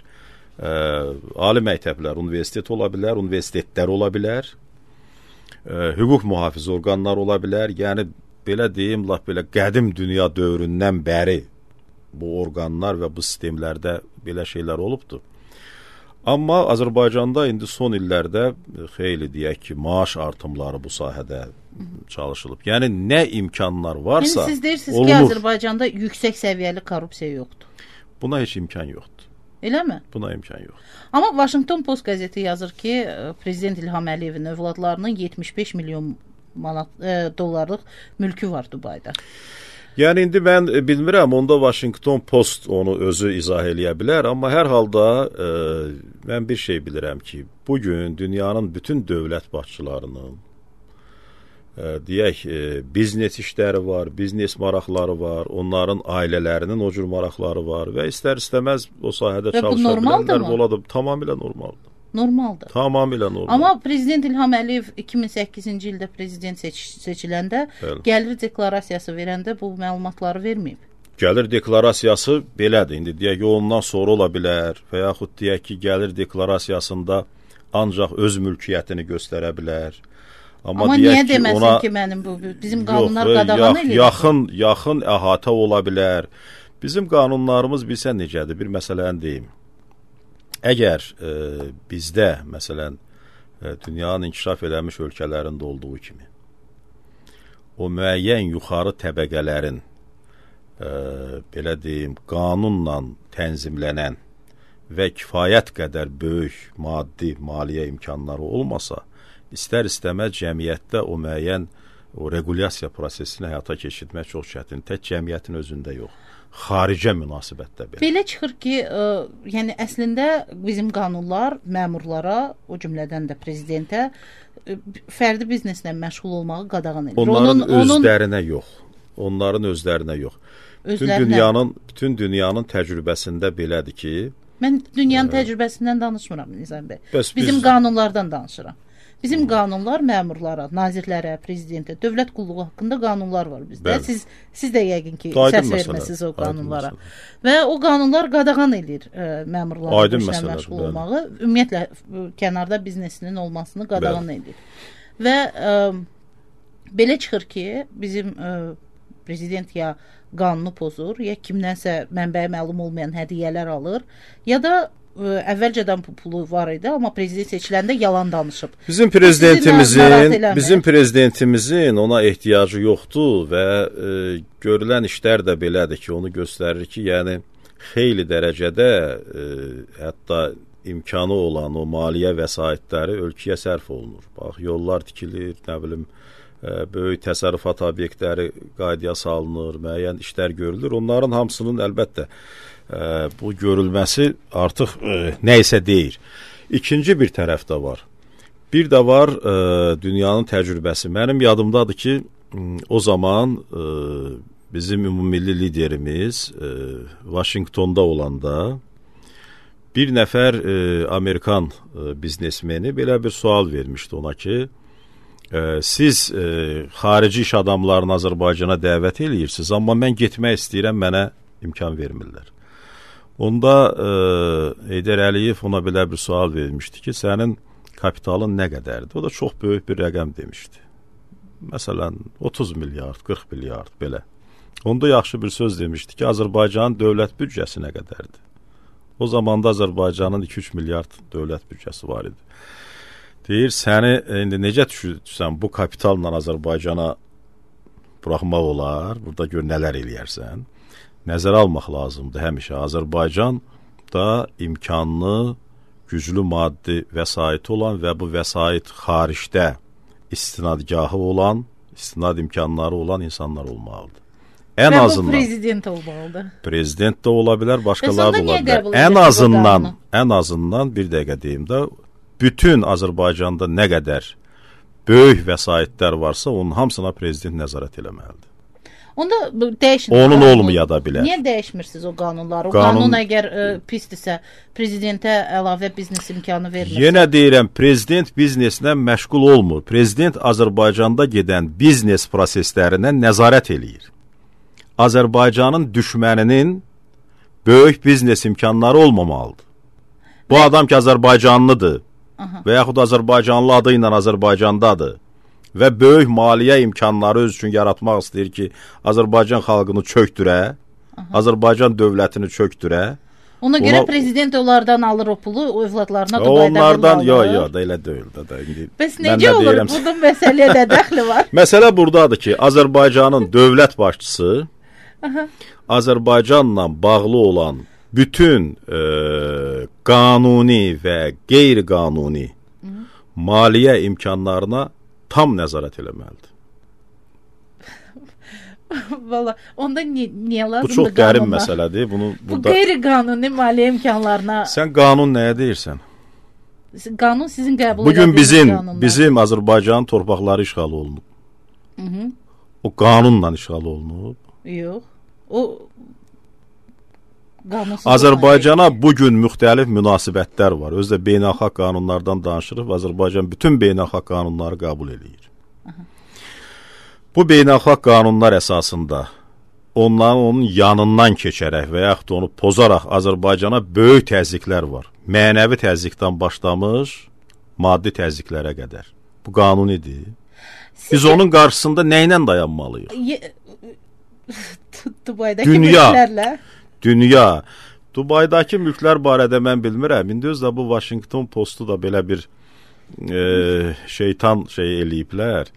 Speaker 2: ali məktəblər, universitet ola bilər, universitetlər ola bilər, hüquq mühafizə orqanlar ola bilər. Yəni, belə deyim, lap belə qədim dünya dövründən bəri bu orqanlar və bu sistemlərdə belə şeylər olubdur. Amma Azərbaycanda indi son illərdə xeyli deyək ki, maaş artımları bu sahədə çalışılıb. Yəni nə imkanlar varsa
Speaker 1: siz deyirsiniz
Speaker 2: olunur.
Speaker 1: Ki, Azərbaycanda yüksək səviyyəli korrupsiya yoxdur.
Speaker 2: Buna heç imkan yoxdur.
Speaker 1: Eləmi?
Speaker 2: Buna imkan yoxdur.
Speaker 1: Amma Washington Post qəzeti yazır ki, Prezident İlham Əliyevin övladlarının 75 milyon dollarlıq mülkü var Dubayda.
Speaker 2: Yəni indi mən bilmirəm, onda Washington Post onu özü izah eləyə bilər, amma hər halda mən bir şey bilirəm ki, bugün dünyanın bütün dövlət başçılarının deyək, biznes işləri var, biznes maraqları var, onların ailələrinin o cür maraqları var və istər-istəməz o sahədə çalışa bilənlər oladır. Tamamilə normaldır.
Speaker 1: Normaldır.
Speaker 2: Tamamilə normaldır.
Speaker 1: Amma Prezident İlham Əliyev 2008-ci ildə prezident seçiləndə gəlir deklarasiyası verəndə bu məlumatları verməyib.
Speaker 2: Gəlir deklarasiyası belədir. İndi deyək ki, ondan sonra ola bilər və yaxud deyək ki, gəlir deklarasiyasında ancaq öz mülkiyyətini göstərə bilər.
Speaker 1: Amma niyə deməsin ki, mənim bu bizim qanunlar qadağan edir?
Speaker 2: Yaxın əhatə ola bilər. Bizim qanunlarımız bilsən necədir? Bir məsələni deyim. Əgər bizdə, məsələn, dünyanın inkişaf edilmiş ölkələrində olduğu kimi, o müəyyən yuxarı təbəqələrin, belə deyim, qanunla tənzimlənən və kifayət qədər böyük maddi, maliyyə imkanları olmasa, istər-istəməz cəmiyyətdə o müəyyən o regulyasiya prosesini həyata keçirmək çox çətin. Tək cəmiyyətin özündə yox. Xaricə münasibətdə belə.
Speaker 1: Belə çıxır ki, yəni əslində bizim qanunlar məmurlara, o cümlədən də prezidentə fərdi bizneslə məşğul olmağı qadağan edir.
Speaker 2: Onların özlərinə yox. Onların özlərinə yox. Bütün dünyanın təcrübəsində belədir ki,
Speaker 1: mən dünyanın təcrübəsindən danışmıram Nizam bəy. Bizim qanunlardan danışıram. Bizim qanunlar məmurlara, nazirlərə, prezidentə, dövlət qulluğu haqqında qanunlar var bizdə. Siz də yəqin ki, səs verməsiniz o qanunlara. Və o qanunlar qadağan edir məmurların işlə məşğul olmağı, ümumiyyətlə kənarda biznesinin olmasını qadağan edir. Və belə çıxır ki, bizim prezident ya qanunu pozur, ya kimdənsə mənbəyə məlum olmayan hədiyyələr alır, ya da əvvəlcədən pulu var idi, amma prezident seçiləndə yalan danışıb.
Speaker 2: Bizim prezidentimizin ona ehtiyacı yoxdur və görülən işlər də belədir ki, onu göstərir ki, yəni xeyli dərəcədə hətta imkanı olan o maliyyə vəsaitləri ölkəyə sərf olunur. Bax, yollar tikilir, nə bilim, böyük təsərrüfat obyektləri qaydaya salınır, müəyyən işlər görülür. Onların hamısının əlbəttə bu görülməsi artıq nə isə deyir. İkinci bir tərəf də var. Bir də var dünyanın təcrübəsi. Mənim yadımdadır ki, o zaman bizim ümummilli liderimiz Vaşinqtonda olanda bir nəfər Amerikan biznesmeni belə bir sual vermişdi ona ki, siz xarici iş adamlarını Azərbaycana dəvət eləyirsiniz, amma mən getmək istəyirəm, mənə imkan vermirlər. Onda Heydər Əliyev ona belə bir sual vermişdi ki, sənin kapitalın nə qədərdir? O da çox böyük bir rəqəm demişdi. Məsələn, 30 milyard, 40 milyard belə. Onda yaxşı bir söz demişdi ki, Azərbaycanın dövlət büdcəsi nə qədərdir? O zaman da Azərbaycanın 2-3 milyard dövlət büdcəsi var idi. Deyir, səni indi necə düşürsən bu kapitalla Azərbaycana buraxmaq olar, burada gör nələr eləyərsən. Nəzərə almaq lazımdır həmişə. Azərbaycan da imkanlı, güclü maddi vəsaiti olan və bu vəsait xaricdə istinadgahı olan, istinad imkanları olan insanlar olmalıdır. Ən azından
Speaker 1: prezident olmalıdır.
Speaker 2: Prezident də ola bilər, başqaları da ola bilər. Ən azından bir dəqiqə deyim də, bütün Azərbaycanda nə qədər böyük vəsaitlər varsa, onun hamısına prezident nəzarət eləməlidir.
Speaker 1: Onda dəyişin.
Speaker 2: Onun olmaya da bilər.
Speaker 1: Niyə dəyişmirsiniz o qanunları? O qanun əgər pisdirsə, prezidentə əlavə biznes imkanı vermirsə?
Speaker 2: Yenə deyirəm, prezident bizneslə məşğul olmur. Prezident Azərbaycanda gedən biznes proseslərinə nəzarət eləyir. Azərbaycanın düşməninin böyük biznes imkanları olmamalıdır. Bu adam ki, Azərbaycanlıdır və yaxud Azərbaycanlı adı ilə Azərbaycandadır və böyük maliyyə imkanları öz üçün yaratmaq istəyir ki, Azərbaycan xalqını çökdürə, Azərbaycan dövlətini çökdürə.
Speaker 1: Ona görə prezident onlardan alır o pulu, o övladlarına Dubayda
Speaker 2: onlardan, yox, da elə deyil.
Speaker 1: Bəs necə olur? Bunun məsələyə də dəxli var.
Speaker 2: Məsələ buradadır ki, Azərbaycanın dövlət başçısı Azərbaycanla bağlı olan bütün qanuni və qeyri-qanuni maliyyə imkanlarına tam nəzarət eləməlidir.
Speaker 1: Valla, onda niyə lazımdır qanunlar?
Speaker 2: Bu çox qərim məsələdir.
Speaker 1: Bu qeyri-qanuni maliyyə imkanlarına...
Speaker 2: Sən qanun nəyə deyirsən?
Speaker 1: Qanun sizin qəbul
Speaker 2: bugün bizim Azərbaycanın torpaqları işğal olunub. O qanunla işğal olunub.
Speaker 1: Yox. O
Speaker 2: Azərbaycana bugün müxtəlif münasibətlər var. Özdə beynəlxalq qanunlardan danışırıq. Azərbaycan bütün beynəlxalq qanunları qəbul edir. Bu beynəlxalq qanunlar əsasında onun yanından keçərək və yaxud onu pozaraq Azərbaycana böyük təzyiqlər var. Mənəvi təzyiqdən başlamış, maddi təzyiqlərə qədər. Bu qanunidir. Biz onun qarşısında nə ilə dayanmalıyıq?
Speaker 1: Dubaydakı mülklərlə?
Speaker 2: Dünya. Dubaydakı mülklər barədə mən bilmirəm. İndi özdə bu Washington Postu da belə bir şeytan eləyiblər.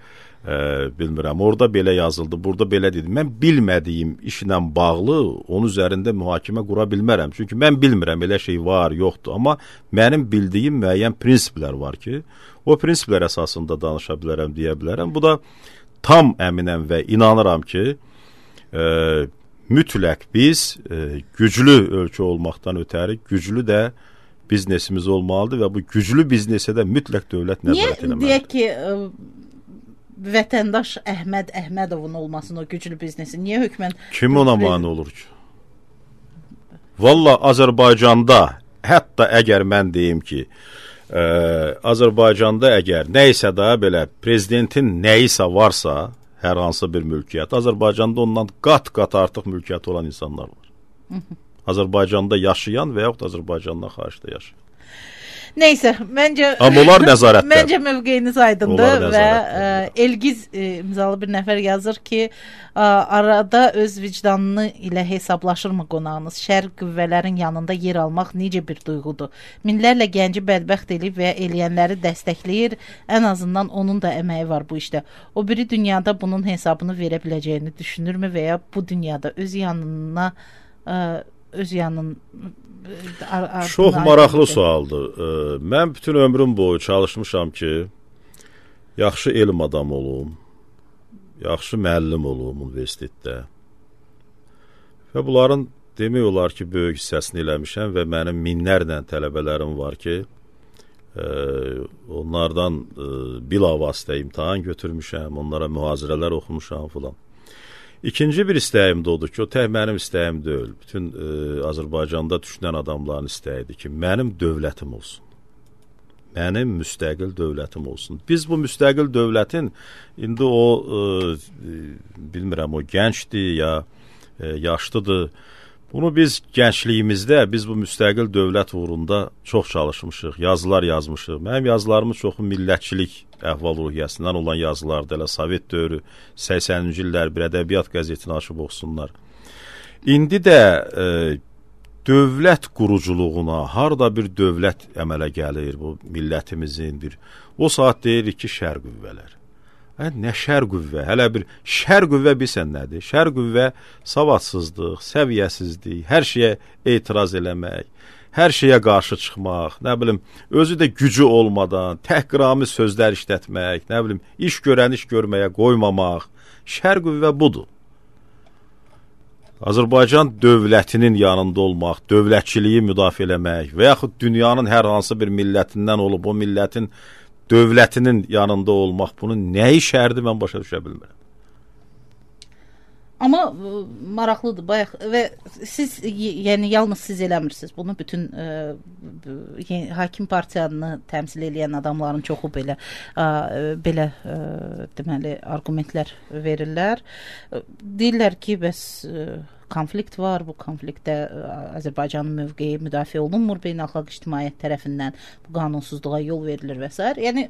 Speaker 2: Bilmirəm. Orada belə yazıldı, burada belə dedim. Mən bilmədiyim işlə bağlı onun üzərində mühakimə qura bilmərəm. Çünki mən bilmirəm, elə şey var, yoxdur. Amma mənim bildiyim müəyyən prinsiplər var ki, o prinsiplər əsasında danışa bilərəm, deyə bilərəm. Bu da tam əminəm və inanıram ki, mütləq biz güclü ölkə olmaqdan ötəri güclü də biznesimiz olmalıdır və bu güclü biznesə də mütləq dövlət nəzarət eləməlidir.
Speaker 1: Niyə deyək ki, vətəndaş Əhməd Əhmədovun olmasın o güclü biznesi? Niyə hökmən...
Speaker 2: Kim ona mane olur ki? Valla Azərbaycanda, hətta əgər mən deyim ki, Azərbaycanda əgər nəysə da belə prezidentin nəyisə varsa, hər hansı bir mülkiyyət, Azərbaycanda ondan qat-qat artıq mülkiyyət olan insanlar var. Azərbaycanda yaşayan və yaxud Azərbaycandan xaricdə yaşayan.
Speaker 1: Neysə, məncə mövqeyiniz aydındır və Elgiz imzalı bir nəfər yazır ki, arada öz vicdanını ilə hesablaşırmı qonağınız? Şər qüvvələrin yanında yer almaq necə bir duyğudur? Minlərlə gənci bədbəxt eləyib və eləyənləri dəstəkləyir, ən azından onun da əməyi var bu işdə. O biri dünyada bunun hesabını verə biləcəyini düşünürmü və ya bu dünyada öz yanına
Speaker 2: Çox maraqlı sualdır. Mən bütün ömrüm boyu çalışmışam ki, yaxşı elm adamı olum, yaxşı müəllim olum universitetdə. Və bunların demək olar ki, böyük hissəsini eləmişəm və mənim minlərlə tələbələrim var ki, Onlardan bilavasitə imtahan götürmüşəm, onlara mühazirələr oxumuşam filan. İkinci bir istəyim də odur ki, o tək mənim istəyim deyil. Bütün Azərbaycanda düşünən adamların istəyidir ki, mənim dövlətim olsun. Mənim müstəqil dövlətim olsun. Biz bu müstəqil dövlətin, indi o, bilmirəm, o gəncdir ya yaşlıdır. Bunu biz gəncliyimizdə, biz bu müstəqil dövlət uğrunda çox çalışmışıq, yazılar yazmışıq. Mənim yazılarımın çoxu millətçilik əhval-ruhiyyəsindən olan yazılardır. Elə Sovet dövrü, 80-ci illər bir ədəbiyyat qəzetini açıb oxusunlar. İndi də dövlət quruculuğuna, harda bir dövlət əmələ gəlir, bu millətimizin bir, o saat deyirik ki, şər qüvvələr. Nə şər qüvvə? Hələ bir şər qüvvə bilsən nədir? Şər qüvvə savadsızlıq, səviyyəsizlik, hər şeyə etiraz eləmək, hər şeyə qarşı çıxmaq, nə bilim, özü də gücü olmadan, təhqirami sözlər işlətmək, nə bilim, iş görən iş görməyə qoymamaq. Şər qüvvə budur. Azərbaycan dövlətinin yanında olmaq, dövlətçiliyi müdafiə eləmək və yaxud dünyanın hər hansı bir millətindən olub, o millətin dövlətinin yanında olmaq, bunun nəyi şərdir, mən başa düşə bilmirəm.
Speaker 1: Amma maraqlıdır bayaq və siz, yəni yalnız siz eləmirsiniz. Bunu bütün hakim partiyanı təmsil edən adamların çoxu belə deməli arqumentlər verirlər. Deyirlər ki, bəs konflikt var, bu konfliktdə Azərbaycanın mövqeyi müdafiə olunmur beynəlxalq ictimaiyyət tərəfindən, bu qanunsuzluğa yol verilir və s. Yəni,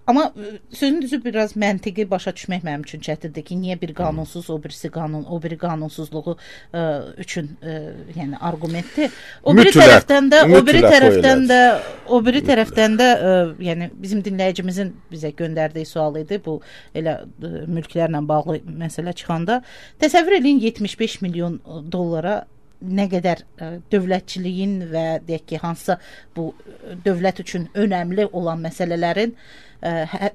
Speaker 1: amma sözün düzü biraz məntiqi başa düşmək mənim üçün çətindir ki, niyə bir qanunsuz, o biri qanunsuzluğu üçün yəni arqumenti. O biri tərəfdən də yəni bizim dinləyicimizin bizə göndərdiyi sual idi. Bu elə mülklərlə bağlı məsələ çıxanda təsəvvür edin 75 milyon dollara nə qədər dövlətçiliyin və deyək ki, hansısa bu dövlət üçün önəmli olan məsələlərin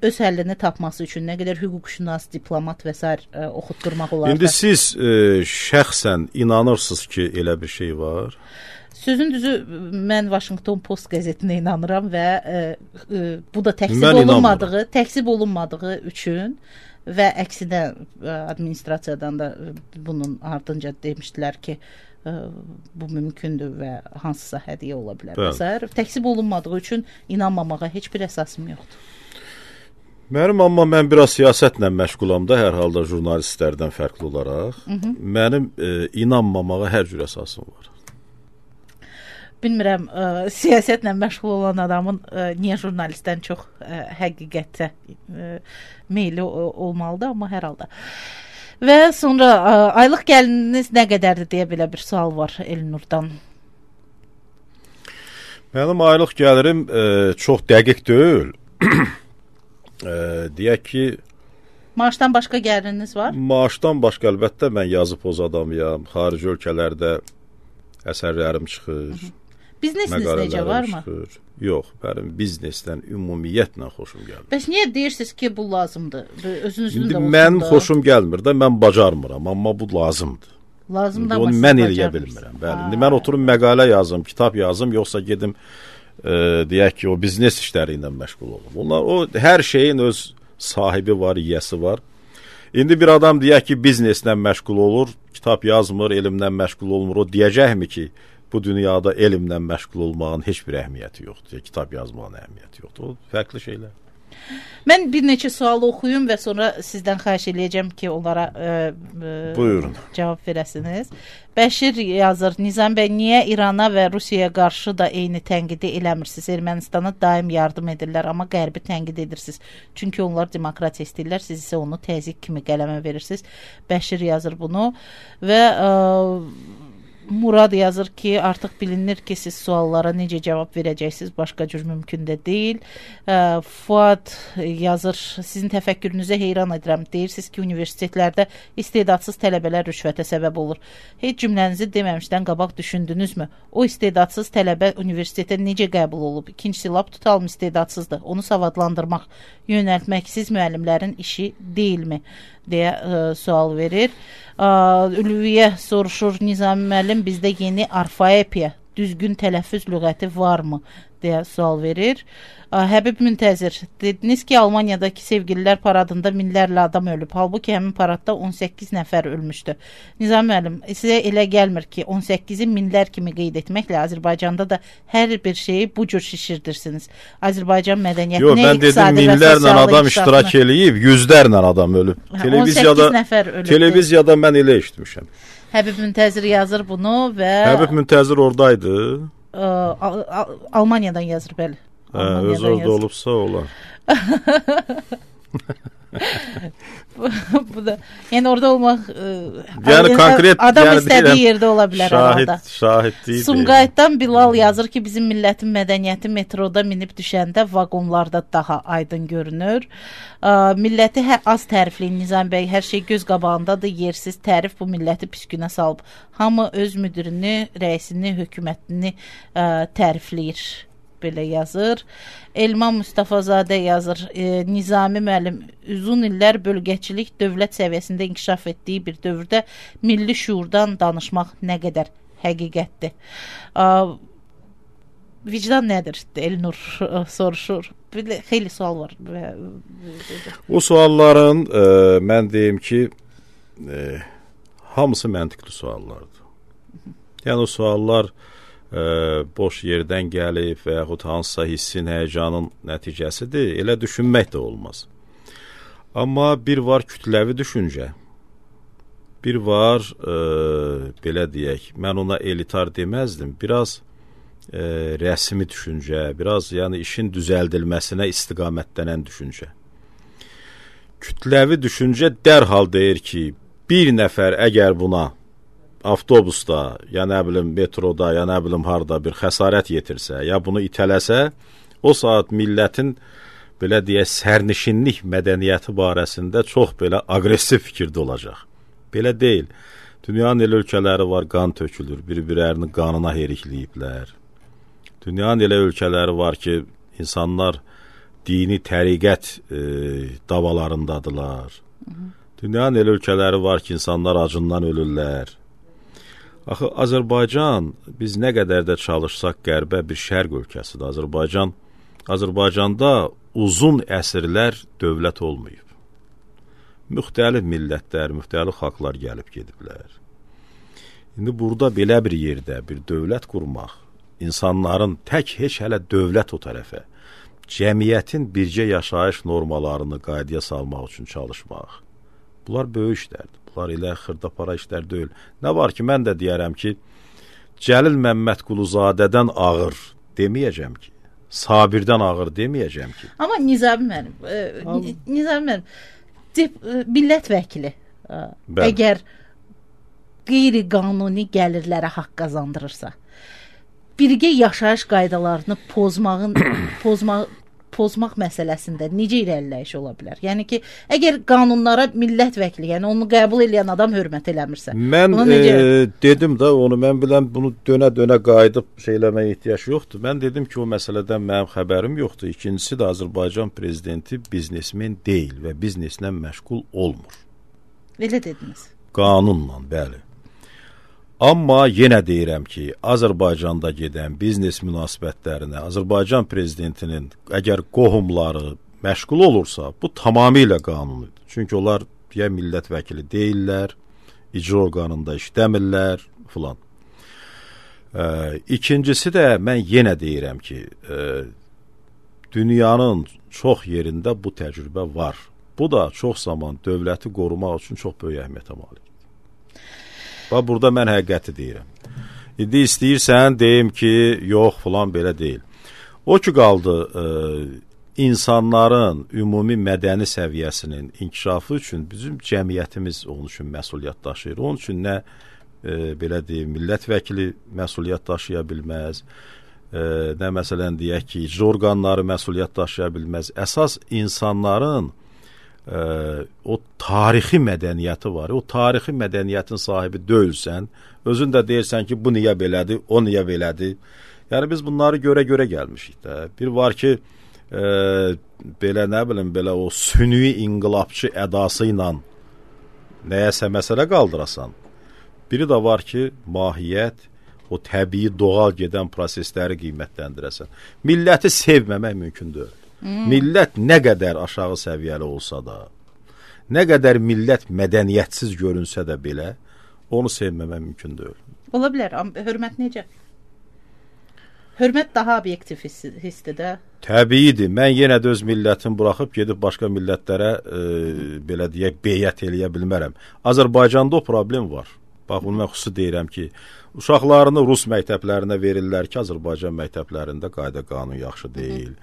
Speaker 1: öz həllini tapması üçün nə qədər hüquqşünas, diplomat və s. oxutdurmaq olardı.
Speaker 2: İndi siz şəxsən inanırsınız ki, elə bir şey var?
Speaker 1: Sözün düzü, mən Washington Post qəzetinə inanıram və bu da təksib olunmadığı üçün və əksinə administrasiyadan da bunun ardınca demişdilər ki, bu mümkündür və hansısa hədiyyə ola bilər. Təksib olunmadığı üçün inanmamağa heç bir əsasım yoxdur.
Speaker 2: Amma mən biraz siyasətlə məşğulam da, hər halda jurnalistlərdən fərqli olaraq. Mənim inanmamağa hər cür əsasım var.
Speaker 1: Bilmirəm, siyasətlə məşğul olan adamın niyə jurnalistdən çox həqiqətə meyli olmalıdır, amma hər halda. Və sonra aylıq gəliriniz nə qədərdir deyə belə bir sual var Elnurdan.
Speaker 2: Mənim aylıq gəlirim çox dəqiq deyil. Deyək ki,
Speaker 1: maaşdan başqa gəliriniz var?
Speaker 2: Maaşdan başqa əlbəttə mən yazı poz adamıyam. Xarici ölkələrdə əsərlərim çıxır.
Speaker 1: Biznesiniz necə, varmı?
Speaker 2: Yox, mənim biznesdən ümumiyyətlə xoşum gəlmir.
Speaker 1: Bəs niyə deyirsiniz ki, bu lazımdır? Özünüzün də olsun da.
Speaker 2: Mənim xoşum gəlmir də, mən bacarmıram, amma bu lazımdır.
Speaker 1: Lazımdır, amma
Speaker 2: siz mən eləyə bilmirəm. Bəli, indi mən oturum məqalə yazım, kitab yazım, yoxsa gedim deyək ki, o biznes işləri ilə məşğul olum. O hər şeyin öz sahibi var, yiyəsi var. İndi bir adam deyək ki, bizneslə məşğul olur, kitab yazmır, elmlə məşğul olmur, o deyəcəkmi ki, bu dünyada elmlə məşğul olmağın heç bir əhəmiyyəti yoxdur, kitab yazmağın əhəmiyyəti yoxdur. O fərqli şeylər.
Speaker 1: Mən bir neçə sual oxuyum və sonra sizdən xahiş eləyəcəm ki, onlara
Speaker 2: buyurun,
Speaker 1: cavab verəsiniz. Bəşir yazır, Nizam bəy, niyə İrana və Rusiyaya qarşı da eyni tənqidi eləmirsiniz? Ermənistana daim yardım edirlər, amma Qərbi tənqid edirsiniz. Çünki onlar demokratiya istəyirlər, siz isə onu təzyiq kimi qələmə verirsiniz. Bəşir yazır bunu və Murad yazır ki, artıq bilinir ki, siz suallara necə cavab verəcəksiniz, başqa cür mümkün də deyil. Fuad yazır, sizin təfəkkürünüzə heyran edirəm. Deyirsiniz ki, universitetlərdə istedadsız tələbələr rüşvətə səbəb olur. Heç cümlənizi deməmişdən qabaq düşündünüzmü? O istedadsız tələbə universitetə necə qəbul olub? İkincisi, lap tutalım istedadsızdır. Onu savadlandırmaq, yönəltmək siz müəllimlərin işi deyilmi? Deyə sual verir. Ülviyə soruşur, Nizami müəllim, bizdə yeni orfoepiya düzgün tələffüz lüğəti varmı deyə sual verir. Həbib Müntəzir, dediniz ki, Almaniyadakı sevgililər paradında minlərlə adam ölüb. Halbuki həmin paradda 18 nəfər ölmüşdü. Nizami müəllim, sizə elə gəlmir ki, 18-i minlər kimi qeyd etməklə Azərbaycanda da hər bir şeyi bu cür şişirdirsiniz. Azərbaycan mədəniyyətini,
Speaker 2: mən dedim minlərlə adam iştirak eləyib, yüzlərlə adam ölüb.
Speaker 1: 18 nəfər ölüb.
Speaker 2: Televiziyada mən elə eşitmişəm.
Speaker 1: Həbib Müntəzir yazır bunu və...
Speaker 2: Həbib Müntəzir oradaydı.
Speaker 1: Almaniyadan yazır, bəli.
Speaker 2: Öz orada olubsa olar.
Speaker 1: Bu da, yəni orada olmaq
Speaker 2: yəni konkret
Speaker 1: adam istədiyi yerdə ola bilər arada.
Speaker 2: Şahid deyil.
Speaker 1: Sumqayıtdan Bilal yazır ki, bizim millətin mədəniyyəti metroda minib düşəndə vaqonlarda daha aydın görünür. Milləti az tərifləyin Nizami bəy, hər şey göz qabağındadır, yersiz tərif bu milləti pis günə salıb. Hamı öz müdirini, rəisini, hökumətini tərifləyir. Belə yazır. Elman Mustafazadə yazır. Nizami müəllim, uzun illər bölgəçilik dövlət səviyyəsində inkişaf etdiyi bir dövrdə milli şuurdan danışmaq nə qədər həqiqətdir. Vicdan nədir? Elnur soruşur. Xeyli sual var.
Speaker 2: O sualların mən deyim ki, hamısı məntiqli suallardır. Yəni o suallar boş yerdən gəlib və yaxud hansısa hissin, həyəcanın nəticəsidir, elə düşünmək də olmaz. Amma bir var kütləvi düşüncə, bir var, belə deyək, mən ona elitar deməzdim, biraz rəsmi düşüncə, biraz yəni işin düzəldilməsinə istiqamətlənən düşüncə. Kütləvi düşüncə dərhal deyir ki, bir nəfər əgər buna avtobusda, ya nə bilim metroda, ya nə bilim harda bir xəsarət yetirsə, ya bunu itələsə, o saat millətin belə deyək sərnişinlik mədəniyyəti barəsində çox belə aqressiv fikirdə olacaq. Belə deyil. Dünyanın elə ölkələri var, qan tökülür, bir-birlərinin qanına herikləyiblər. Dünyanın elə ölkələri var ki, insanlar dini təriqət davalarındadılar. Dünyanın elə ölkələri var ki, insanlar acından ölürlər. Axı, Azərbaycan, biz nə qədər də çalışsaq qərbə bir şərq ölkəsidir. Azərbaycanda uzun əsrlər dövlət olmayıb. Müxtəlif millətlər, müxtəlif xalqlar gəlib gediblər. İndi burada belə bir yerdə bir dövlət qurmaq, insanların tək heç hələ dövlət o tərəfə, cəmiyyətin bircə yaşayış normalarını qaydaya salmaq üçün çalışmaq, bunlar böyük işlərdir. Bunlar elə xırdapara işlər deyil. Nə var ki, mən də deyərəm ki, Cəlil Məmmədquluzadədən ağır deməyəcəm ki, Sabirdən ağır deməyəcəm ki.
Speaker 1: Amma Nizami müəllim, millət vəkili əgər qeyri-qanuni gəlirlərə haqq qazandırırsa, birgə yaşayış qaydalarını pozmaq məsələsində necə irəliləyiş ola bilər? Yəni ki, əgər qanunlara millət vəkili, yəni onu qəbul edən adam hörmət eləmirsə.
Speaker 2: Mən dedim də onu, mən biləm bunu dönə-dönə qayıdıb şeyləməyə ehtiyac yoxdur. Mən dedim ki, o məsələdən mənim xəbərim yoxdur. İkincisi də Azərbaycan prezidenti biznesmen deyil və bizneslə məşğul olmur.
Speaker 1: Elə dediniz.
Speaker 2: Qanunla, bəli. Amma yenə deyirəm ki, Azərbaycanda gedən biznes münasibətlərinə Azərbaycan prezidentinin əgər qohumları məşğul olursa, bu tamamilə qanunidir. Çünki onlar ya millət vəkili deyirlər, icra orqanında işləmirlər filan. İkincisi də mən yenə deyirəm ki, dünyanın çox yerində bu təcrübə var. Bu da çox zaman dövləti qorumaq üçün çox böyük əhəmiyyətə malikdir. Bax, burada mən həqiqəti deyirəm. İndi istəyirsən, deyim ki, yox, filan belə deyil. O ki qaldı, insanların ümumi mədəni səviyyəsinin inkişafı üçün bizim cəmiyyətimiz onun üçün məsuliyyət daşıyır. Onun üçün nə, belə deyim, millət vəkili məsuliyyət daşıya bilməz, nə məsələn deyək ki, icra orqanları məsuliyyət daşıya bilməz. Əsas insanların o tarixi mədəniyyəti var. O tarixi mədəniyyətin sahibi deyilsən, özün də deyirsən ki, bu niyə belədir, o niyə belədir. Yəni biz bunları görə gəlmişik də. Bir var ki, belə nə bilim, belə o sünni inqilabçı ədası ilə nəyəsə məsələ qaldırasan. Biri də var ki, mahiyyət, o təbii, doğal gedən prosesləri qiymətləndirəsən. Milləti sevməmək mümkün deyil. Millət nə qədər aşağı səviyyəli olsa da, nə qədər millət mədəniyyətsiz görünsə də belə, onu sevməmək mümkün deyil.
Speaker 1: Ola bilər, amma hörmət necə? Hörmət daha obyektiv hissdir də.
Speaker 2: Təbiidir. Mən yenə də öz millətimi buraxıb gedib başqa millətlərə belə deyək, beyət eləyə bilmərəm. Azərbaycanda o problem var. Bax, bunu mən xüsusi deyirəm ki, uşaqlarını rus məktəblərinə verirlər ki, Azərbaycan məktəblərində qayda qanun yaxşı deyil.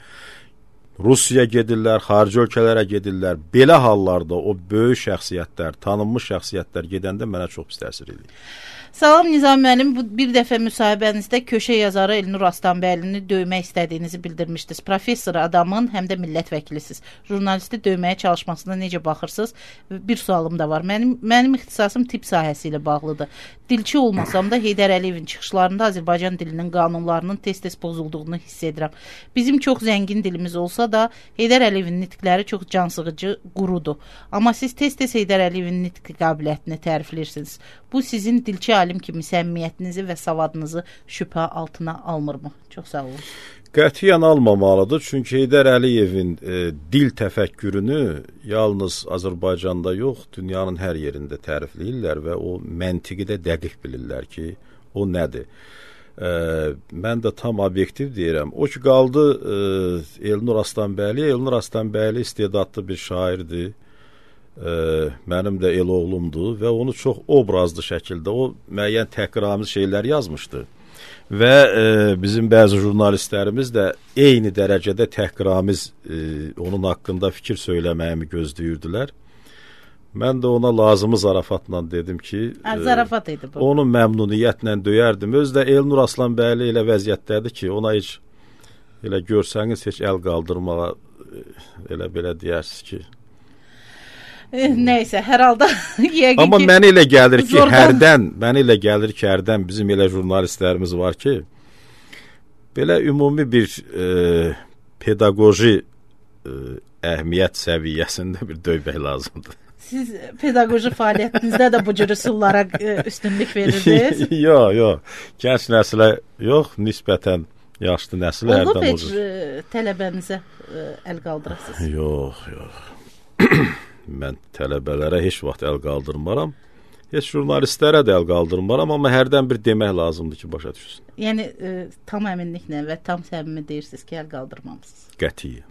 Speaker 2: Rusiyaya gedirlər, xarici ölkələrə gedirlər. Belə hallarda o böyük şəxsiyyətlər, tanınmış şəxsiyyətlər gedəndə mənə çox pis təsir edir.
Speaker 1: Salam Nizam müəllim, bu bir dəfə müsahibənizdə köşə yazarı Elnur Aslanbəylini döymək istədiyinizi bildirmişdiniz. Professor adamın, həm də millət vəkilisiz. Jurnalisti döyməyə çalışmasına necə baxırsınız? Bir sualım da var. Mənim ixtisasım tibb sahəsi ilə bağlıdır. Dilçi olmasam da Heydər Əliyevin çıxışlarında Azərbaycan dilinin qanunlarının tez-tez pozulduğunu hiss edirəm. Bizim çox zəngin dilimiz olsa da Heydər Əliyevin nitqləri çox cansıxıcı, qurudur. Amma siz tez-tez Heydər Əliyevin nitq qabiliyyətini tərifləyirsiniz. Bu sizin dilçi alim kimi səmimiyyətinizi və savadınızı şübhə altına almırmı? Çox sağ olun.
Speaker 2: Qətiyyən almamalıdır. Çünki Heydər Əliyevin dil təfəkkürünü yalnız Azərbaycanda yox, dünyanın hər yerində tərifləyirlər və o məntiqi də dəqiq bilirlər ki, o nədir. Mən də tam obyektiv deyirəm. O ki, qaldı Elnur Aslanbəyli. Elnur Aslanbəyli istedadlı bir şairdir. Mənim də el oğlumdur və onu çox obrazlı şəkildə o müəyyən təhqiramiz şeylər yazmışdı. Və bizim bəzi jurnalistlərimiz də eyni dərəcədə təhqiramiz onun haqqında fikir söyləməyimi gözləyirdilər. Mən də ona lazımı zarafatla dedim ki,
Speaker 1: zarafat idi bu.
Speaker 2: Onu məmnuniyyətlə döyərdim. Özü də Elnur Aslanbəyli elə vəziyyətdədir ki, ona heç elə görsəniz heç əl qaldırmağa elə belə deyərsiniz ki,
Speaker 1: nəysə, hər halda yəqin ki...
Speaker 2: Amma mənə elə gəlir ki, hərdən bizim elə jurnalistlərimiz var ki, belə ümumi bir pedaqoji əhmiyyət səviyyəsində bir döymək lazımdır.
Speaker 1: Siz pedaqoji fəaliyyətinizdə də bu cür üsullara üstünlük verirsiniz?
Speaker 2: Yox. Gənc nəslə yox, nisbətən yaşlı nəsil hərdən olur.
Speaker 1: Olub heç tələbənizə əl qaldırasınız?
Speaker 2: Yox. Mən tələbələrə heç vaxt əl qaldırmaram. Heç jurnalistlərə də əl qaldırmaram, amma hərdən bir demək lazımdır ki, başa düşsün.
Speaker 1: Yəni tam əminliklə və tam səmimi deyirsiniz ki, əl qaldırmamısınız.
Speaker 2: Qətiyyən.